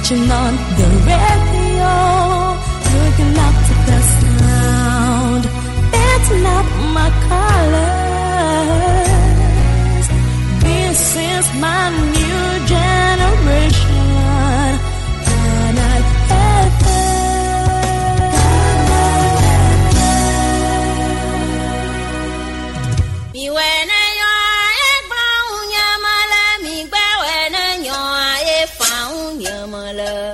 Switching on the radio, looking up to the sound. That's not my colors. This is my new generation. Canal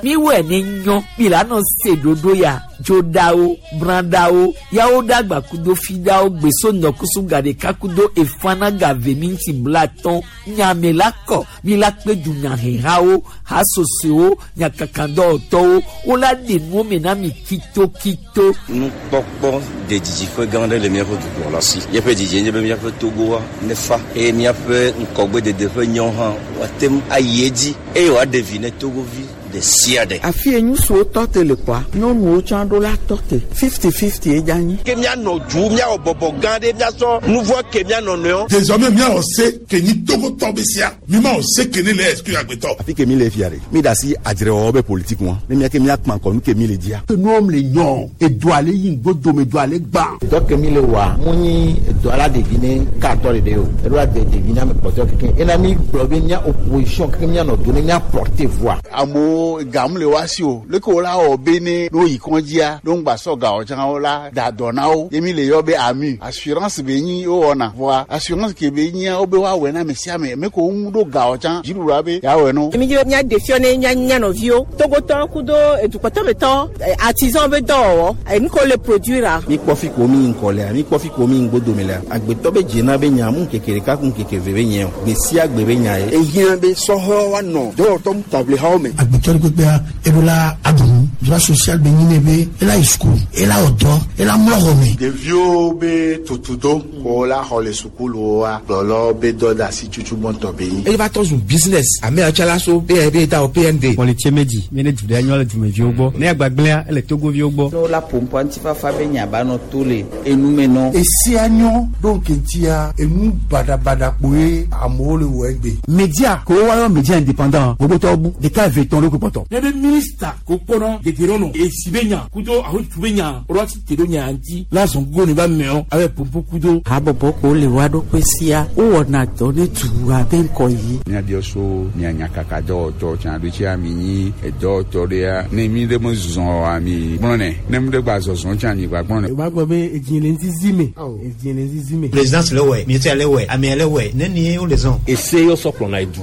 Miwɔe ne nyɔ mi la nɔ se ɖoɖo ya dzoɖawo brãɖawo yawo ɖagba kudo fiɖawo gbeso ŋdɔkusu gaɖeka kudo efana gave minti blatɔn nyame la kɔ mi la kpe dunyahehawo hasosowo nyakakadɔwɔtɔwo wola ɖe nuwo me na mi kitokito. Nukpɔkpɔ de didiƒe gã aɖe le míaƒe dukplɔla si. Míaƒe didie nye be míaƒe Togoa nefa eye míaƒe ŋkɔgbedede ƒe nyɔ hã woate ŋu ayi edzi eye wòaɖe vi ne Togovi ɖe sia ɖe. Afi ye ŋutsuwo tɔ te le kpɔa, nyɔnuwo tsã ɖo la tɔ te. Fifty-fifty ye dze anyi. Ke míanɔ du, míawɔ bɔbɔ gã ɖe, míasɔ nuvɔ ke mía nɔnɔewo. Désormais míawɔ se ke nyi Togotɔ be sea, mímawɔ se ke ne le exclure agbetɔ. Afi ke mi le fia ɖe, mi ɖe asi adzrewɔwɔ be politique ŋua, ne mía ke míakpã kɔ nu ke mi le dzia. Enuwo le nyɔ, edoa le yi ŋgodome, edoa le gbã. Dɔ ke mi le wɔa, mu nyi edoa la ɖevi ne katɔ ɖeɖe o, eɖo la de ɖevi na ame kpɔtɔewo kekeŋ. Ena mi gblɔ be mía opposition kekeŋ míanɔ do ne mía porter voix. Amewo gam le woa si o, leke wo la wɔ be ne ne woyi kɔndzia, ne wogba sɔ gawo tsã wo la da dɔ na wo. Ye mi le yɔ be AMU, assurance be nyi wowɔna. Vɔa assurance ke be nyia wo be woawɔe na ame sia ame. Ame kewo ŋu ɖo gawo tsã, dziɖuɖua be yeawɔe na wo. Mi dzi be míaɖe fiɔ ne mía mía nɔviwo, Togotɔwo kudo edukpɔtɔmetɔwo, artisan be dɔwɔwɔ, enu ke wole produire-a. Mi kpɔ fi ko mi yi ŋkɔ lea, mi kpɔ fi ko mi yi ŋgodome lea. Agbetɔ be dzena be nya mu ŋkeke ɖeka ku ŋkeke eve be nye o. Gbe sia gbe be nya ye. Ehiã be sɔhɛwo woanɔ dɔwɔtɔ ŋutaʋlihawo me. Agbetɔ ɖe kpekpea, eɖo la aɖu nu. Droit social be nyi nɛ be ela yi suku, ela wɔ dɔ, ela mlɔ xɔ me. Ɖeviwo be tutudo ko la xɔ le sukuluwoa, kplɔlawo be dɔdeasi tutu gbɔntɔ be nyi. Eye va trɔ zu business. Ame ya tsã la so be da wɔ PND. Kpɔlitse medzi be ne du ɖe nyɔ le dumeviwo gbɔ. Ne agbagblẽa, ele Togoviwo gbɔ. Ne wola ƒo ŋutifafa be nya ba nɔ to le enu me nɔ. Esia nyɔ ɖo ŋkeŋtia enu baɖabaɖa kpoe amewo le wɔ egbe. Media ko woayɔ media indépendant gbogbotɔwo bu ɖeka eve tɔn ɖo kpɔtɔ. Ne be minista ko kpɔnɔ dedienɔnɔ esi be nya kudo ahotu be nya woɖo asi te ɖo nya ŋuti la zɔn gogo ne ba mɛɔ abe pompo kudo. Habɔbɔ ko le woa ɖokui sia wowɔna dɔ ne dua be ŋkɔ yi. Míabiɔ so mía nyakaka dɔwɔtɔ tsã ɖo tsia mi nyi edɔwɔtɔ ɖea ne mi ɖe me zɔn oa mi gblɔ nɛ ne mi ɖe gba zɔzɔn tsã mi gba gblɔ nɛ. O b'a gbɔ be edzi le ŋzizi me. Edzi le ŋzizi me. Présidence le wɛ, ministère le wɛ, amea le wɛ, ne ni wo le zɔn. Ese yɔ sɔ kplɔna edu.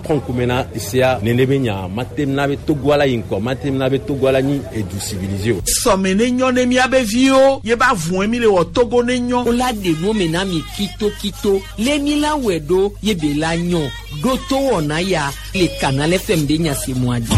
Trɔ ŋkume na esea nene be nya mate na be Togoa la yi ŋkɔ mate na be Togoa la nyi edu civilisé o. Sɔme ne nyɔ ne míabe viwo ye ba vɔe mi le wɔ Togo ne nyɔ. Wola ɖe nuwo me na mi kitokito le mi la wɔe ɖo ye be la nyɔ ɖo to wɔna ya le Canal FM be nya se mua dzi.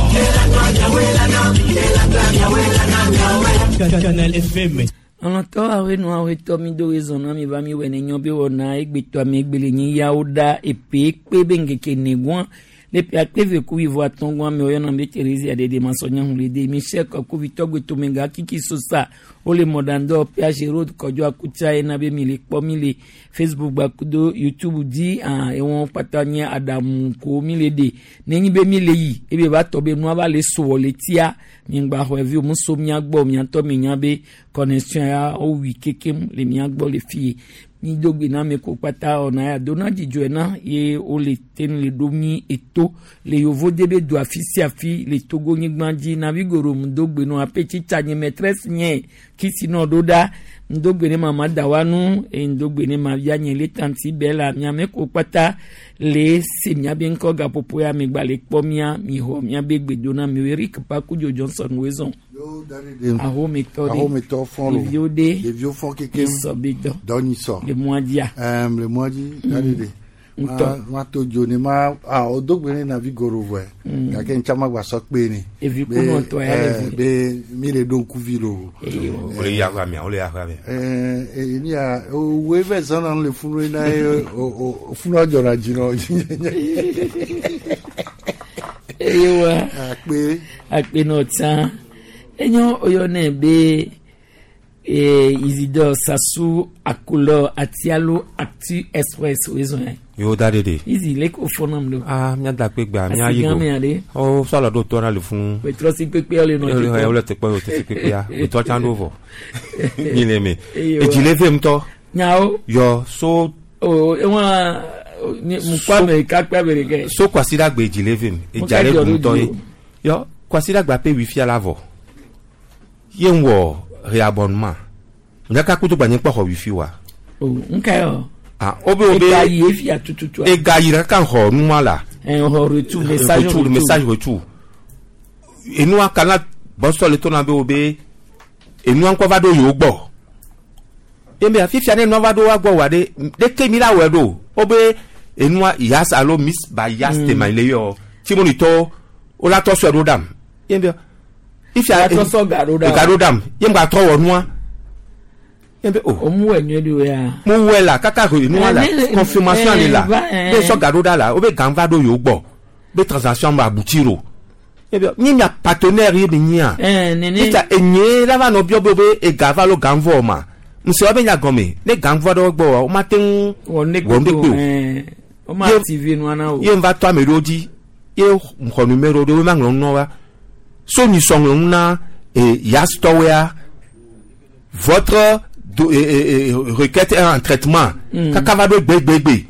Canal FM. Lɔlɔ̃tɔ awoe nu awoe tɔ mi do wezɔn na mi va mi wɔ ne nyɔ be wɔna egbetɔ ame egbe le nyi yawo ɖa epe kpe be ŋkeke negua le ƒe akpe eve ku wuieve atɔ̃ gɔa me woyɔna be Theresia ɖeɖe masɔnya hu le de Michel Kɔkuvitɔ gbetomega Kiki Sosa wole mɔɖaŋdɔ PH Road Kɔdzɔ Akutsa yena be mi le kpɔ mi le Facebook gba kudo YouTube dzi ah ewɔn kpata nye aɖaŋu ko mi le ɖe nenyi be mi le yi ebe va tɔ be nua va le sɔ le tia mi ŋgba xɔe vi o mu so mia gbɔ miatɔ mi nya be connexion ya wowi kekem le mia gbɔ le fie mi do gbe na ame ko kpata wɔna ya dona dzidzɔe na ye wole te le ɖo mi eto le yovo de be do afi sia afi le Togo nyigba dzi na vigoro mu do gbe no ape tsitsa nye maîtresse nye kisi nɔ ɖo ɖa ŋdo gbe ne mama dawanu eye ŋdo gbe ne mavia nye le tanti bela miame ko kpata le se miabe ŋkɔ gaƒoƒo ya megba le kpɔ mia mi xɔ miabe gbe do na mi Eric Pakudzo Johnson wezɔn. Ahometɔ ɖe. Ahometɔ fɔn lo. Ɖeviwo ɖe. Ɖeviwo fɔn kekem. Sɔ be dɔ. Dɔ nyi sɔ. Le mɔa dzia. Ɛm le mɔa dzi. Dari de. Ŋutɔ. Ma to dzo ne ma a o do gbe ne navi goro vɔe. Gake ŋtsa ma gba sɔ kpe ne. Evi kunɔ tɔ ya le vi. Be mi le ɖo ŋkuvi lo. Wole yi aƒea mea, wole yi aƒea mea. Ɛɛ eni ya owoe vɛ zɔn na le funu na ye o o funua dzɔna dzi nɔ. Eye wa. Akpe. Akpe nɔ tsã. Enyo oyɔnɛ be. Isidore Sassou Akolɔ Atialo Actu Express wezɔn yɛ. Yo da de de. Izi le ko fɔnam do. Ah, mía da kpe gbea, mía Asi yi gã go. mea ɖe. O sɔlɔ ɖo tɔ na le funu. Wetrɔ si kpekpe le nɔ Ele te kpɔ. le te kpɔ, o te si kpekpea. Wetɔ tsã ɖo vɔ. Mi le me. Eye Edzi wa. le ve ŋutɔ. Nyawo. Yɔ so. O ewa mukɔ ame kakpa ame ɖeke. So kwasiɖagbe edzi le ve mi. Mo Edza ka le dzɔ ɖu ɖo ŋutɔ dzi ye. o. Yɔ kwasiɖagbe ƒe wui fia la vɔ. Ye ŋwɔ réabonnement. Nyaka kutu gbanye kpɔ xɔ wifi wa. O nka yɔ. Ah, obe obe. Ega yi efia tututu. Ega yi ɖeka xɔ nua la. Ɛ xɔ retour message retour message retour. Enua kana bɔsɔ le tɔna be wo be enua ŋkɔ va ɖo yewo gbɔ. Eme fifia ne enua va ɖo wa gbɔ wa ɖe ɖeke mi la wɔe ɖo. Wo be enua yas alo miss ba yas tema le yɔ. Tsimonitɔwo wo la tɔ sɔe ɖo ɖam. Ye be ifia La tɔ sɔ ga ɖo ɖam. Ga ɖo ɖam. Ye ŋgba trɔ wɔ nua. Ye be o. O mu wɔ nyuie ɖo ya. Mo wɛ la kaka he enua la Eh, ne- confirmation eh, le la. va, eh. Be sɔ ga ɖo ɖa la wo be ga va ɖo yewo gbɔ. Be transaction ba aboutir o. Ye be ni mia partenaire ye be nyia. Eh, nene. Ifia enye la va nɔ biɔ be be ega va lo ga vɔ ma. Ŋusẽ wa be nya gɔme ne ga vɔ ɖe wo gbɔ wa wo ma te ŋu Wɔ ne wɔ ŋɖe kpe o. Eh, o ma Ye- activer nua na o. Ye ŋva tɔ ame ɖewo dzi ye xɔ numéro ɖewo ma ŋlɔ nu na wa. So nyisɔ ŋlɔ nu na yasitɔwoea votre do, requête est en traitement. Kaka va ɖo gbegbegbe.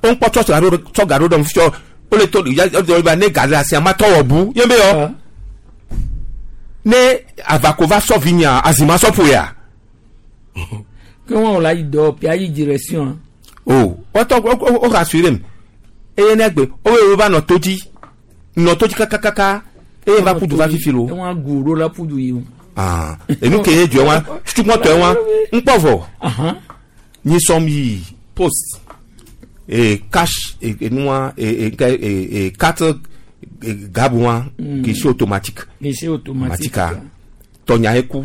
Wo ŋkpɔ tsɔ ga ɖo tsɔ ga ɖo ɖem fiɔ wole to ya ya ba ne ga le asia ma tɔ wɔ bu ye be yɔ. Ne avako va sɔ vi nya azima sɔ ƒo ya. Ke wɔn la yi dɔ pia yi direction. O wɔtɔ wo wo rassuré m eye ne gbe wo wo va nɔ to dzi nɔ to dzi kakakaka eye va kudu va fifi lo. Ewɔn gu ɖo la pudu yi o. Ah, enu ke ye dzɔ wa tutukpɔtɔ wa ŋkpɔ vɔ. Nyi sɔm yi poste e cash e enua e e nke e e carte e, gabu wa guichet automatique. Guichet automatique. Matika tɔnya eku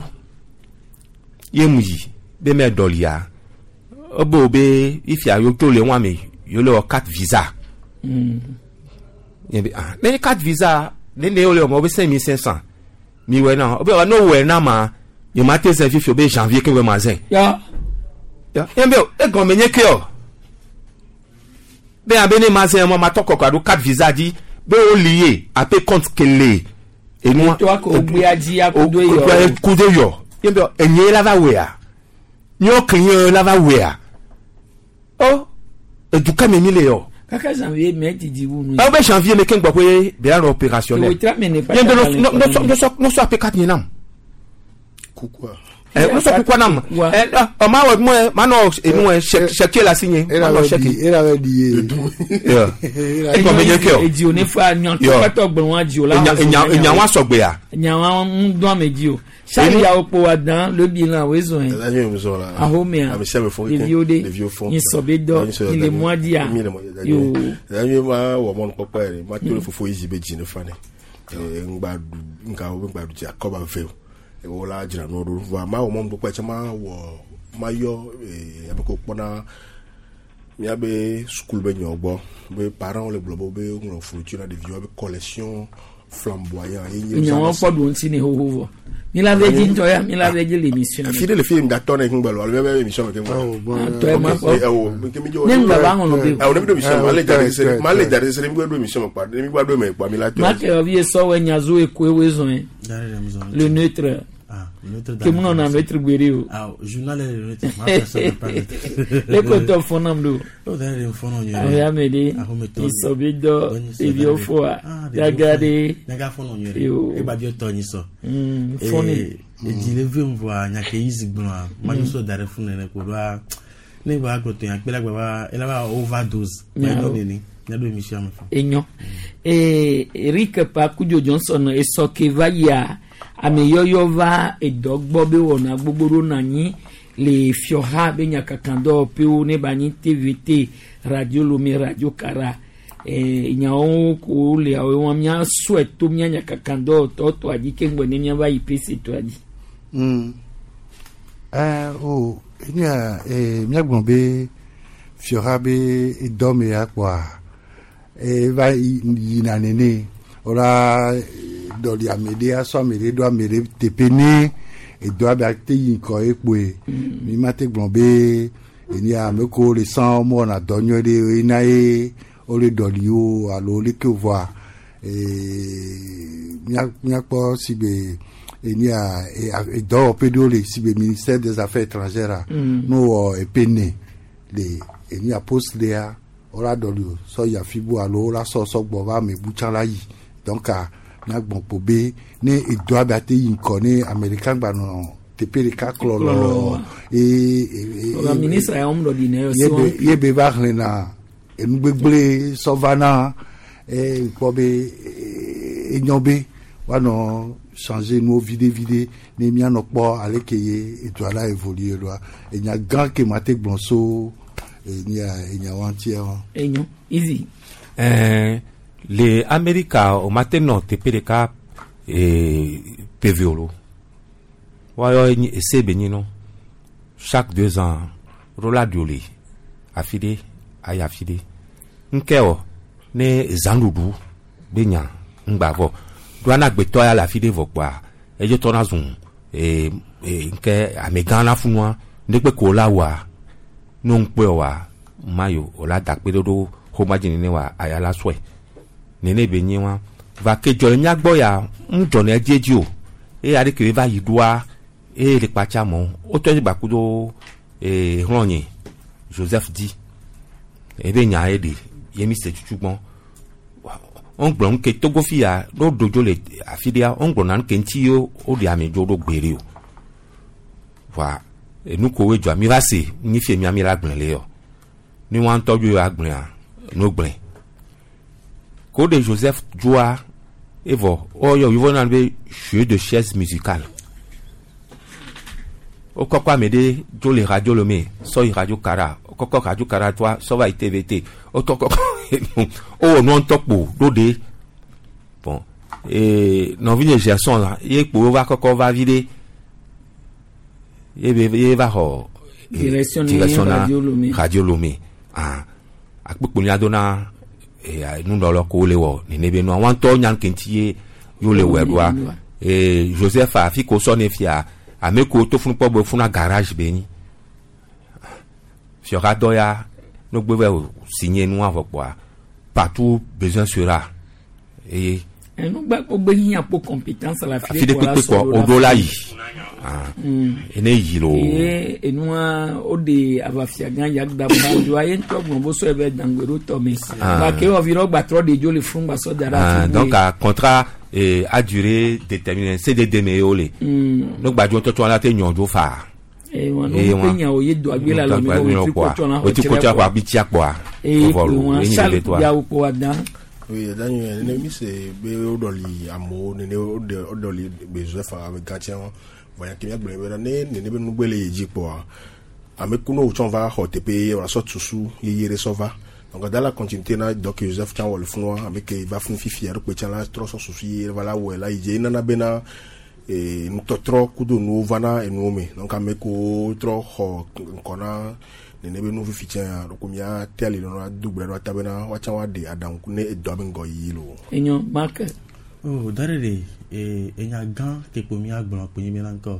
ye mu yi be mɛ dɔlia ebe wo be ifia yo to le wa me yo le wɔ carte visa. Ye be ah ne carte visa ne ne yo le wɔ ma wo be 5500 mi wɛ na wo be wa ne wɛ na ma nye ma te zɛ fifi o be janvier ke wɛ ma zɛ. Ya. Ya ye be egɔme nye ke o be abe ne ma zɛ ma ma tɔ kɔkɔ alo carte visa dzi be wo lié ape compte kele enua To ako gbe adzi akudo yɔ. kudo yɔ ye be enye la va wɛa nyɔ client la va wɛa o eduka mi mi le yɔ. Kaka janvier mɛ didi wu nu. Awo bɛ janvier mi ke ŋgbɔ koe bɛn nɔ opérationnel. Ewe tra mɛ ne Ye be no no no sɔ no sɔ ape carte nye nam. Kukua. Ɛ no sɔ kukua nam. Ɛ ɔ ma wɔ mɔ ma nɔ enu ɛ chèque la signé. Ma nɔ chèque. Era bɛ di ye. E gɔme nye ke o. Edzi o ne fa nyɔ Yɔ. tɔkpɛtɔ gblɔ wa dzi o la. Enya enya enya wa sɔgbea. Nya wa ŋu dɔn ame dzi o. Sali yawo kpo wa dan le bilan wo ezɔn ye. Daniel Muzon la. Ahomea. Ame sia ame fɔ Ɖeviwo ɖe. Ɖeviwo fɔ. Nyi sɔ be dɔ. Nyi le mɔa dzia. Mi le mɔ dzia. Yo. Daniel ma wɔ mɔnukpɔkpɔ yɛrɛ. Ma to le fofo yi zi be dzi ne fa ne. Ŋgba ɖu nka wo be ŋgba ɖu dzi akɔba ve o. Wo la dzra nuwo ɖo. Vɔa ma wɔ mɔnukpɔkpɔ tsɛ ma wɔ ma yɔ abe ko kpɔna míabe sukulu be nyawo gbɔ be parents le gblɔ be wobe ŋlɔ fourniture na ɖeviwo be collection flamboyant ye nye Nya wa kpɔ ɖo ŋuti ne xoxo vɔ. Mi la ve dzi ŋutɔ ya mi la ve dzi le émission. Fi ɖe le fi ŋgatɔ ne ŋgbɛ lo alo míabe émission me ke ŋgbɛ. Tɔ ye ma kpɔ. Ne ŋgbɛ ba ŋlɔ be. Awo ne mi ɖo émission me ma le dza ɖe se ma le dza ɖe se ne mi gbe ɖo émission me kpa ne mi gba ɖo eme kpa mi la tɔ. Ma ke vi ye sɔ wɛ nyazo ekoe wo ezɔn ye. Le neutre. Ke mu nɔna neutre gbeɖe o. Ah, journal est le neutre. Ma personne n'est pas neutre. Le ko tɔ fɔnam do. O da yɛrɛ fɔnɔ nyuie. Awo ya me de. Ahometɔ. Nyisɔ be dɔ. Ɖeviwo fɔa. Gaga de. Nyaga fɔnɔ nyuie. Yo. E ba diɔ tɔ nyisɔ. Fɔni. Edzi le ve ŋvɔa nyake yi zi gblɔa. Ma nyisɔ da ɖe fún nene ko ɖoa. Ne gba gblɔ to nyakpe la gba va ela va overdose. Nyawo. Nyawo nene. Nyaɖo émission me fɔ. Enyo. Ee Eric Pakudzo Johnson esɔ ke va yia ame yɔyɔ va edɔ gbɔ be wɔna gbogbo ɖo na anyi le fiɔha be nyakakadɔwɔƒewo ne ba nyi TVT radio Lome radio Kara ee nyawo ko le awo wɔn mía sɔe to mía nyakakadɔwɔtɔ tɔa dzi ke ŋgbɔ ne míava yi PC tɔa dzi. O enya míagblɔ be fiɔha be dɔ me ya kpɔa eva yina nene wola dɔli ame ɖe asɔ ame ɖe ɖo ame ɖe teƒe ne edɔa be ate yi ŋkɔ ye kpoe. Mi ma te gblɔ be enia ame kewo le sã womewɔna dɔ nyuie ɖe ena ye wole ɖɔli wo alo leke voa míakpɔ si be enia edɔwɔƒe ɖewo le si be ministère des affaires étrangères a ne wowɔ epe ne le enia poste ɖea wola ɖɔli o sɔ yi afi bu alo wola sɔ sɔ gbɔ va ame bu tsã la yi donc míagbɔn kpo be ne edɔa be ate yi ŋkɔ ne ame ɖeka gba nɔ teƒe ɖeka klɔlɔ eye Ɔga ministre ya wɔm ɖɔɖi ne yɔ si wɔm. ye be va xlẽna enugbegble sɔ va na e kpɔ be enyo be woanɔ changer nuwo viɖe viɖe ne míanɔ kpɔ ale ke ye edua la évoluer ɖoa enya gã ke ma te gblɔ so enya enya wa ŋutia wa. Enyo easy. Ɛɛ le Amerika o ma te nɔ teƒe ɖeka PV o lo. Woayɔ enyi ese be nyi nɔ. Chaque 2 ans ɖo la dzo le afi ɖe ayi afi ɖe. Ŋkɛ wɔ ne zãɖuɖu be nya ŋgba vɔ. Ɖo ana agbetɔ ya le afi ɖe vɔ kpoa edze tɔ na zu ee ee ŋkɛ amegã la funua ŋɖekpe ko la wɔa ne ŋkpɔe wa mayo o la da kpe ɖe ɖo xɔma dzi nene wa aya la sɔe nene be nyi wa va ke dzɔ le mía gbɔ ya ŋu dzɔ ne edzi edzi o eye aɖe ke va yi ɖoa eye le kpatsa mɔ wotɔ dzi gbaku do ee hlɔnye Joseph di ebe nya ye ɖe ye mi se tutu gbɔn wogblɔ nu ke Togo fi ya ɖo dodzo le afi ɖea wogblɔ na nu ke ŋuti ye woɖe ame dzo ɖo gbe ɖe o voa enu ko woe dzɔa mi va se nyi fie mia mi la gblẽ le yɔ ne wa ŋutɔ dzo ya gblẽa no gblẽ ko ɖe Joseph dzoa evɔ woyɔ yevo na be jeu de chaise musicale wokɔkɔ ame ɖe dzo le radio Lomé sɔ yi radio Kara wokɔkɔ radio Kara toa sɔ va yi TVT wotɔ kɔkɔ wowɔ nua ŋutɔ kpo ɖo ɖe bon ee nɔvinye Gerson la ye kpo wova kɔkɔ va vi ɖe ye be ye va xɔ Direction ni direction na Radio Lomé. Radio Lomé ah akpekpo nya do na ee nunɔlɔ ko le wɔ nene be nua wa ŋutɔ nya kenti ye yo le wɔ ɖoa ee Joseph afi ko sɔ ne fia ame ko to funu kpɔ be funa garage be nyi fiɔha dɔ ya no gbe vɛ o signé nua vɔ kpoa partout besoin sera eye Enugba gbogbo hiã kpo compétence la afi ɖe kpekpe kɔ o ɖo la yi ah ene yi lo Ye enua o de aʋafia gã yagda ba do aye ŋutɔ gblɔ bo sɔ ebe dangbe ɖo tɔ me. Ah. Ba ke wɔ vi ɖe gbatrɔ de dzo le funu gba sɔ da ɖe ah afi bu donc ye. a contrat a durée déterminée CDD me ye wo le no gbadzo tɔtɔ la te nyɔ dzo faa Eh, wa no pe nya o ye do agbe la lɔ mi ko wetri kɔtsɔ na wetri kɔtsɔ kɔ abi tia kpɔa Eye vɔ lo kpo wa enyi Charles le toa yawo kpo wa dan. Oui, Daniel, nene mi se be woɖɔli amewo nene woɖe woɖɔli be Joseph ame gãtsɛ wɔn. Vɔ nya ke míagblɔ be ne nene be nugbe le yi dzi kpɔa, ame ku ne wotsɔ va xɔ teƒe ye wòasɔ susu yeye ɖe sɔ va. Donc dans la continuité na dɔ ke Joseph tsã wɔ le funua, ame ke va funu fifia ɖo kpe tsã la trɔ sɔ susu yeye va la wɔe la yi dzi. Enana bena nutɔtrɔ kudo nuwo vana enuwo me. Donc ame kewo trɔ xɔ ŋkɔ na nene be nu fifi tsã ɖo ko mía te ali nɔ do gbe ɖe ata bena woatsã woaɖe aɖaŋu ne edɔa be ŋgɔ yiyi lo. Enyo Mark. Oh, dare de enya gã ke kpo mía gblɔ kpo nyi bena ŋkɔ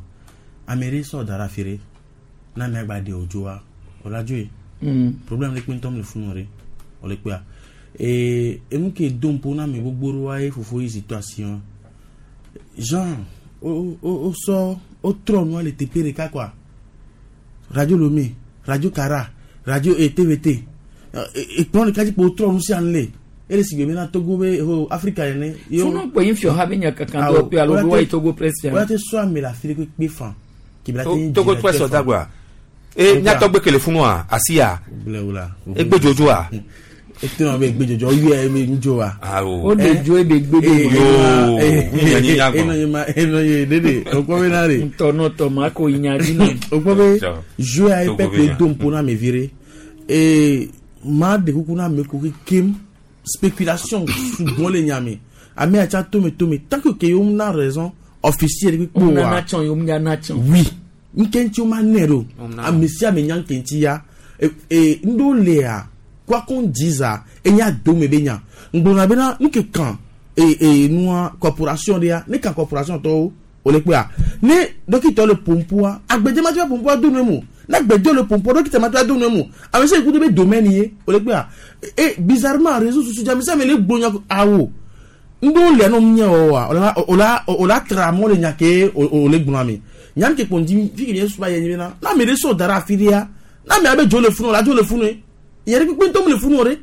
ame ɖe sɔ da ɖe afi ɖe na amea gba ɖe wòdzoa wòla dzoe. Problème ɖe kpe ŋutɔ le funu ɖe wòle kpea enu ke do ŋpo na ame gbogbo ɖewoa ye fofo yi zi tɔ asi wɔn genre o o o sɔ wotrɔ nua le teƒe ɖeka quoi radio Lomé radio Kara radio TVT ekplɔ ɖeka dzi kpo wotrɔ nu sia nu le ele si gbe bena Togo be ho Afrika ene. Funu kpo yin fiɔha be nya kankan dɔ pe alo be wa yi Togo presse fia. Wọ́n ti sọ àmì la fi kpe fan. Togo presse ọ̀dàgbà e nyatɔgbe kele funua asia egbe dzodzoa. Ete na be gbe dzodzo ɔyɔ ebe ŋdzo wa. O de dzo ebe gbe de yoo eno ye ma eno ye dede okpɔ be na de. Ntɔ n'o tɔ ma ko nya di na. Okpɔ be jouer ayi peuple do ŋpo na ame vi ɖe ee maa de kuku na ame ko kekem spéculation sugbɔ le nya me ame atsa tome tome tant que ke yewo na raison officielle kpekpe Wo wa. nana tsɔn yewo nya na tsɔn. Oui nke ŋuti wo ma nɛ ɖo ame sia ame nya nke ŋuti ya ee ŋɖewo lea quoi qu'on dise enya dome be nya ŋgblɔna bena nu ke kan ee ee nua corporation ɖea ne kan corporation tɔwo O le kpɔa ne dɔkita le pompoa agbedze ma ti va pompoa do nu mu ne agbedze le pompoa dɔkita ma ti va do nu mu ame sia ku do be domaine ye o le kpɔa e bizarrement réseaux sociaux dzi ame sia ame le gblɔ nya awo ŋɖewo lia ne nya wɔwɔa o la o la o la tra amewo le nya ke o le gblɔ ame nyam ke kpɔn dzi fi ke nye suba yɛ nyi bena ne ame ɖe sɔ da ɖe afi ɖea ne ame abe dzo le funu o la dzo le funu ye yɛrɛ kpekpe ŋutɔ mu le funu o ɖe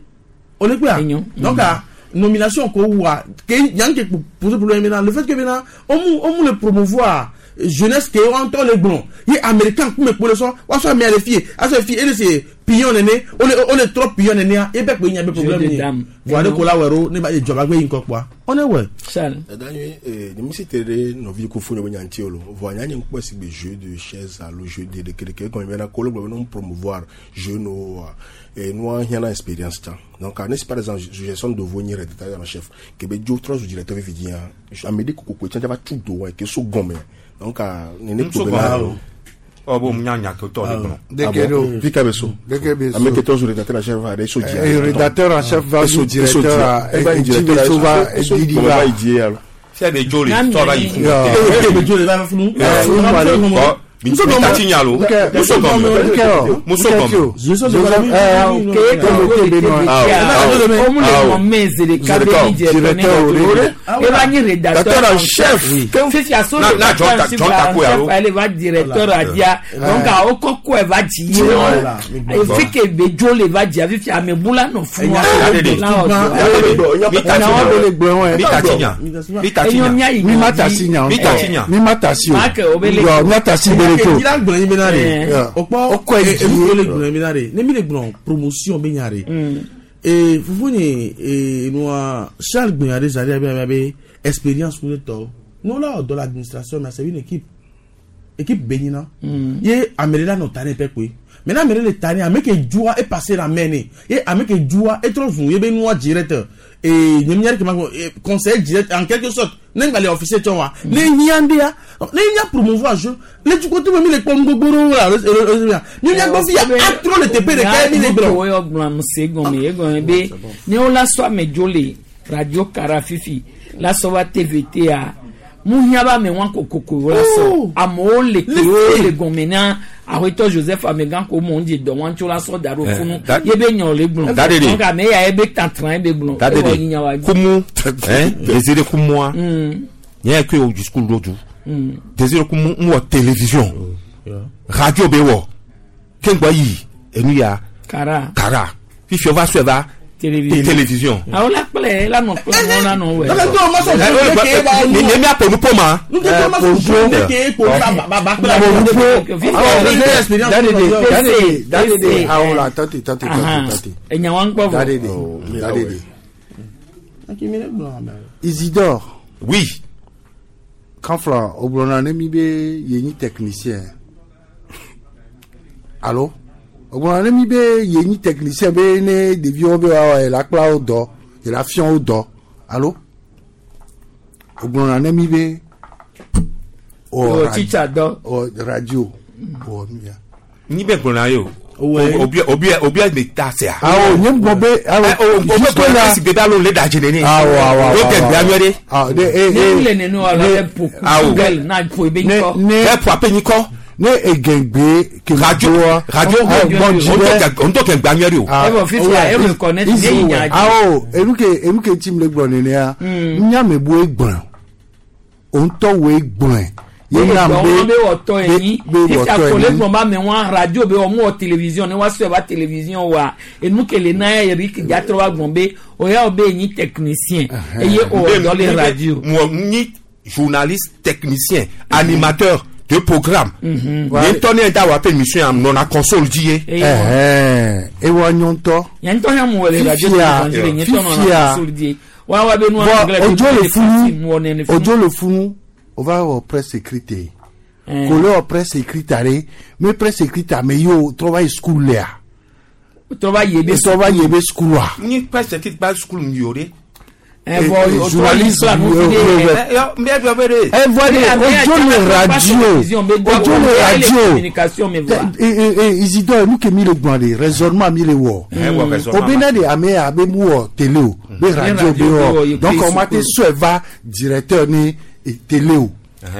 o le kpea donc a nomination ko wa ke nyam ke pose problème bena le fait que bena omu omu le promouvoir jeunesse ke wɔn ŋutɔ le gblɔ ye américain kume kpo le sɔ woasɔ amea le fie asɔ fie ele se pion nene ole ole trɔ pion nenea ebe kpe nya be problème de ye dame. voa ɖe ko la wɔ ɖo ne ba dzɔba gbe yi ŋkɔ kpɔa ɔne wɔ. Charles. Dada nyui ee ni mi si te ɖe nɔvi ko fo nye be nya ŋuti o lo voa nya nye ŋkpɔ si gbe jeu de chaise alo jeu de ɖeke ɖeke egɔme bena ko le gblɔ be ne promouvoir jeu no wa ee nua hiã na expérience tsã donc ne si par exemple gestion de vo nyi rédacteur en chef ke be dzo trɔ zu directeur fifi dzia ame ɖe kokoko tsã va tu do wa ke so gɔme donc nene Ŋutsu ko gɔme bena alo. Ɔ bo nya nya ke tɔ le gblɔ. Deke ɖo. Fi ka be so Deke be so. ame ke trɔ zu rédacteur en chef va ɖe so dzia Eh, rédacteur en chef va zu directeur a- e va yi eh, directeur so va e so didi gɔme va. va yi die alo. Fia be dzo le tɔ va yi funu. Eke be dzo le va funu. Bɔn mi ta ti nya lo. Muso gɔme. Muso gɔme. Omu le mɔ mɛ zereka be ni directeur ne eva nyi rédacteur en chef fifi aso Na- na rédacteur John en Ta- chef John Takoe alo. ele va directeur adia donc awo kɔkɔ eva dzi ye wɔ efi ke be dzo le va dzia fifi ame bu la nɔ funu Mi ta ti nya. Mi ta ti nya. Mi ta ti Enyo nya. mia yi Mi ma ta si nya. Mi ta ti nya. Mi ma ta si o. Marc, o be le- Yɔ, mi ta si bere to. Ila gblɔ nyi bena de Yeah. o kpɔ O kɔ yi enu le gblɔ nyi bena de ne mi le gblɔ promotion be nya de ee fufu nye ee nua Charles gblɔ nya de zari abe abe abe expérience ku ne tɔ n'o la wɔ dɔ l'administration mais c'est une équipe équipe be nyina ye ame ɖe la nɔ ta ne pɛ koe mais ne ame ɖe le ta ne ame ke dzoa e passé la main ne ye ame ke dzoa e trɔ zu ye be nua directeur ee nye mia ɖe ke ma gbɔ ee conseiller direct en quelque sorte ne ŋgba le officier tsɔ wa ne hiã ɖea ne hiã promouvoir jeu le dukɔtɔ me mi le kpɔ nu gbogbo ɖewo la alo alo alo mi mia gbɔ fi ya atrɔ le teƒe ɖeka ye mi le gblɔ. Wo yɔ gblɔ ame se gɔme ye gɔme be ne wo la sɔ ame dzo le radio kara fifi la sɔ va TVT a mu hiã be ame wa kokoko wo la sɔ amewo le ke wo le gɔme na awetɔ Joseph Amegã ko mo ŋdzi dɔ wa ŋutsu la sɔ da ɖo Eh, funu da- ye be nyɔ le gblɔ Da de de. donc ame ya ye be tantran ye be gblɔ Da de ewɔ nyinya wa de. Kumu. Hein? Désiré Kumua. Nye ke o discours l'autre. Désiré Kumu n wɔ télévision. Radio be wɔ. Ke ŋgbɔ yi enu ya. Kara. Kara. Fifi va sɔe va. Télévision. Télévision. Awo la kplɛ la nɔ kplɛ mɔ la nɔ wɛ. Ni ni mi aƒo nuƒo ma. Dadede, dadede, awo la tante, tante, tante, tante. Enya wa ŋgbɔ vɔ. Dadede, dadede. Isidore. Oui. Kanfla, o gblɔna ne mi be ye nyi technicien. Alo? O gblɔna ne mi be ye nyi technicien be ne ɖeviwo be woawɔ ye la kpla wo dɔ, ye la fia wo dɔ. Alo? O gblɔna ne mi be. O teacher dɔ. O radio. O nu ya. Ni bɛ gblɔna ye o. Obi obi obi le ta se a. Awo nye gbɔ be awo O bɛ jusque gblɔ là. esi gbe da lo le da dze nene. Awɔ awɔ awɔ. O tɛ gbea nyuie ɖe. Awɔ de e Ne e. mi le nenu wa la bɛ po Awo. Google na po ebe ŋkɔ. Ne Bɛ po ape nyikɔ. ne egengbe Radio radio o ntɔ kɛ gbea nyuie ɖe o. Evɔ fifia e reconnaître ne yi nya dzi. awo enuke enuke tim le gblɔ nenea nyame bu egblɔ o ŋutɔ wo egblɔe ye Ye nam gbɔ be wọn be wɔtɔ enyi be fifia wɔtɔ ko le enyi gbɔn ba mɛ wọn radio be wɔn mu wɔ télévision ne wa sɔ ba télévision wa enu kele na ye Eric Diatɔ wa gbɔn be o ya o be enyi technicien eye o wɔ dɔ le radio. Mɔ nyi journaliste technicien animateur de programme. Nye ŋutɔ ne da wa pe émission ya nɔna console dzi ye. ɛhɛn ewɔ nyɔntɔ Nye ŋutɔ hã mu wɔ le radio Fifia, télévision le nye ŋutɔ nɔna fifia. console die wa wa be nu bɔn anglais odzo le be funu mu wɔ nene funu. odzo le funu o va wɔ presse écrite ye Eh. ko le wɔ presse écrite are me presse écrite ame yiwo trɔ va yi school lea Trɔ va yi ebe trɔ va yi ebe school wa. Nyi presse écrite ba school mi o de. Evɔ o trɔ yi kpla nu fi de. Evɔ de odzo le radio odzo le radio communication me voa. Isidore nu ke mi le gblɔ de raisonnement mi le wɔ Eh, wɔ raisonnement o be ne de ame ya be mu wɔ télé o be radio be radio be wɔ, wɔ ye donc pe o ma te sukulu. sɔe va directeur ni eh, télé o.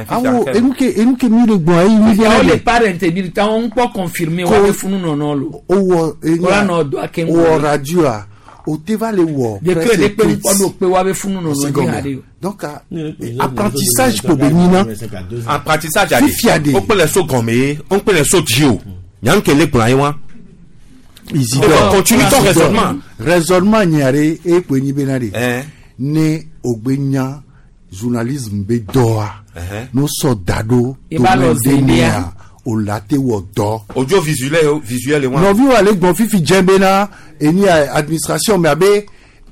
Awo enuke enuke mi le gbɔn eyi mi Fifia le le parent bi ta wɔn kpɔ confirmer wa be funu nɔnɔ lo. Owɔ Wala nɔ do ake wɔ radio a o te va le wɔ De presse kre de kpe écrite. kpɔ do kpe wa be funu nɔnɔ Se di gɔmɛ. ha de o. Donc apprentissage ko be nyina. Apprentissage Fifia de. O kpele so gɔmɛ ye, o kpele so dzi o. Nyanke le gblɔ ye wa. Isidore Continue ton Isidore. raisonnement. Raisonnement nyare e kpe nyi bena de. Hein. Ne ogbe nya journalisme be dɔa. Ɛhɛn. No sɔ da ɖo I b'a lɔ domaine de zendea. mea o la te wɔ dɔ. Audio visuel visuel wa. Nɔviwo ale gbɔn fifi dze bena eni a administration me abe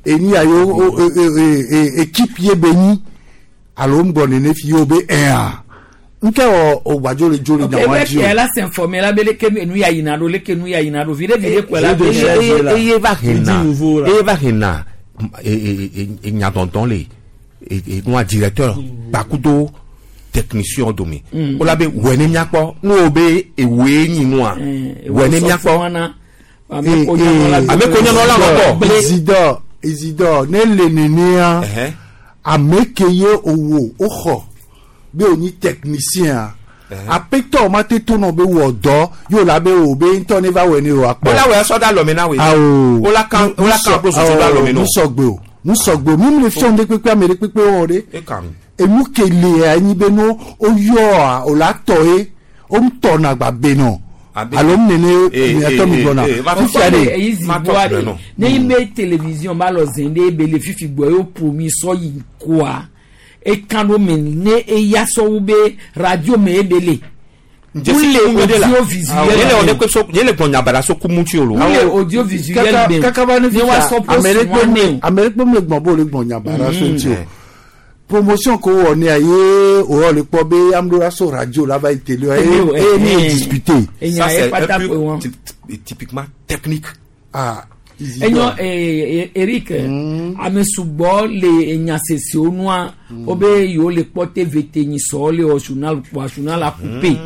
eni a yo o e e e équipe ye be nyi alo ŋgbɔ nene fi ye o be ɛa nke wɔ o gbadzo le dzo le Ok, nya wa ebe dzi kɛ o. la s'informer la be leke nu ya yina do leke nu ya yina do vi de vi de kpɛ la be. Eye va hena eye va hena enyadɔdɔn le enua directeur kpakudo technicien dome. Mm. O la be wɛ ne miakpɔ n'o be ewoe nyi nua wɛ ne miakpɔ. Ame ko nyanɔ la Ame ko nyanɔ la wɔ Isidore Isidore ne le nenea ame ke ye owo o xɔ be o nyi technicien apetɔ ma te to nɔ be wɔ dɔ yóò la be o be ŋutɔ ne va wɔ ne o akpɔ. O la wɛ sɔ da lɔmɛ na we. Awo. O la kan o la kan ko soso da lɔmɛ nɔ. Nusɔgbe o nusɔgbe o mímu le fiɔn de kpekpe ame ɖe kpekpe wɔ ɖe. E kan. Enu ke le anyi be no o yɔa o la tɔ ye o ŋutɔ na gba be nɔ. Alo mu nene miatɔ mi gbɔna. Fifia de. eyi zi bua de ne yi be télévision ba lɔ zen de ebe le fifi gbɔ ye o mi sɔ yi koa ekan do me ne eya sɔwu be radio me ebe le. Njesi Wule kumu de la. audiovisuel Yele o de kpe so yele gbɔn nyabara so kumu tsi o lo. Wule audiovisuel be Kaka ba ne ne wa fifia sɔ ame ɖe post kpe wa ne o. ame ɖe kpe mu le gbɔn bo le gbɔn nyabara so ŋuti o. Mm. Promotion ko wɔ nea ye o yɔ le kpɔ be ame ɖewo la so radio la va yi télé wa Télé o, ye ye eh, ne ye eh. discuter. Enya Ça, c'est ye pata un peu pe wɔn. typiquement technique. Ah. Enyo Eric ame sugbɔ le enyasesiwo nua wo be yewo le kpɔ tvt nyisɔ le wɔ journal kpɔa journal la coupe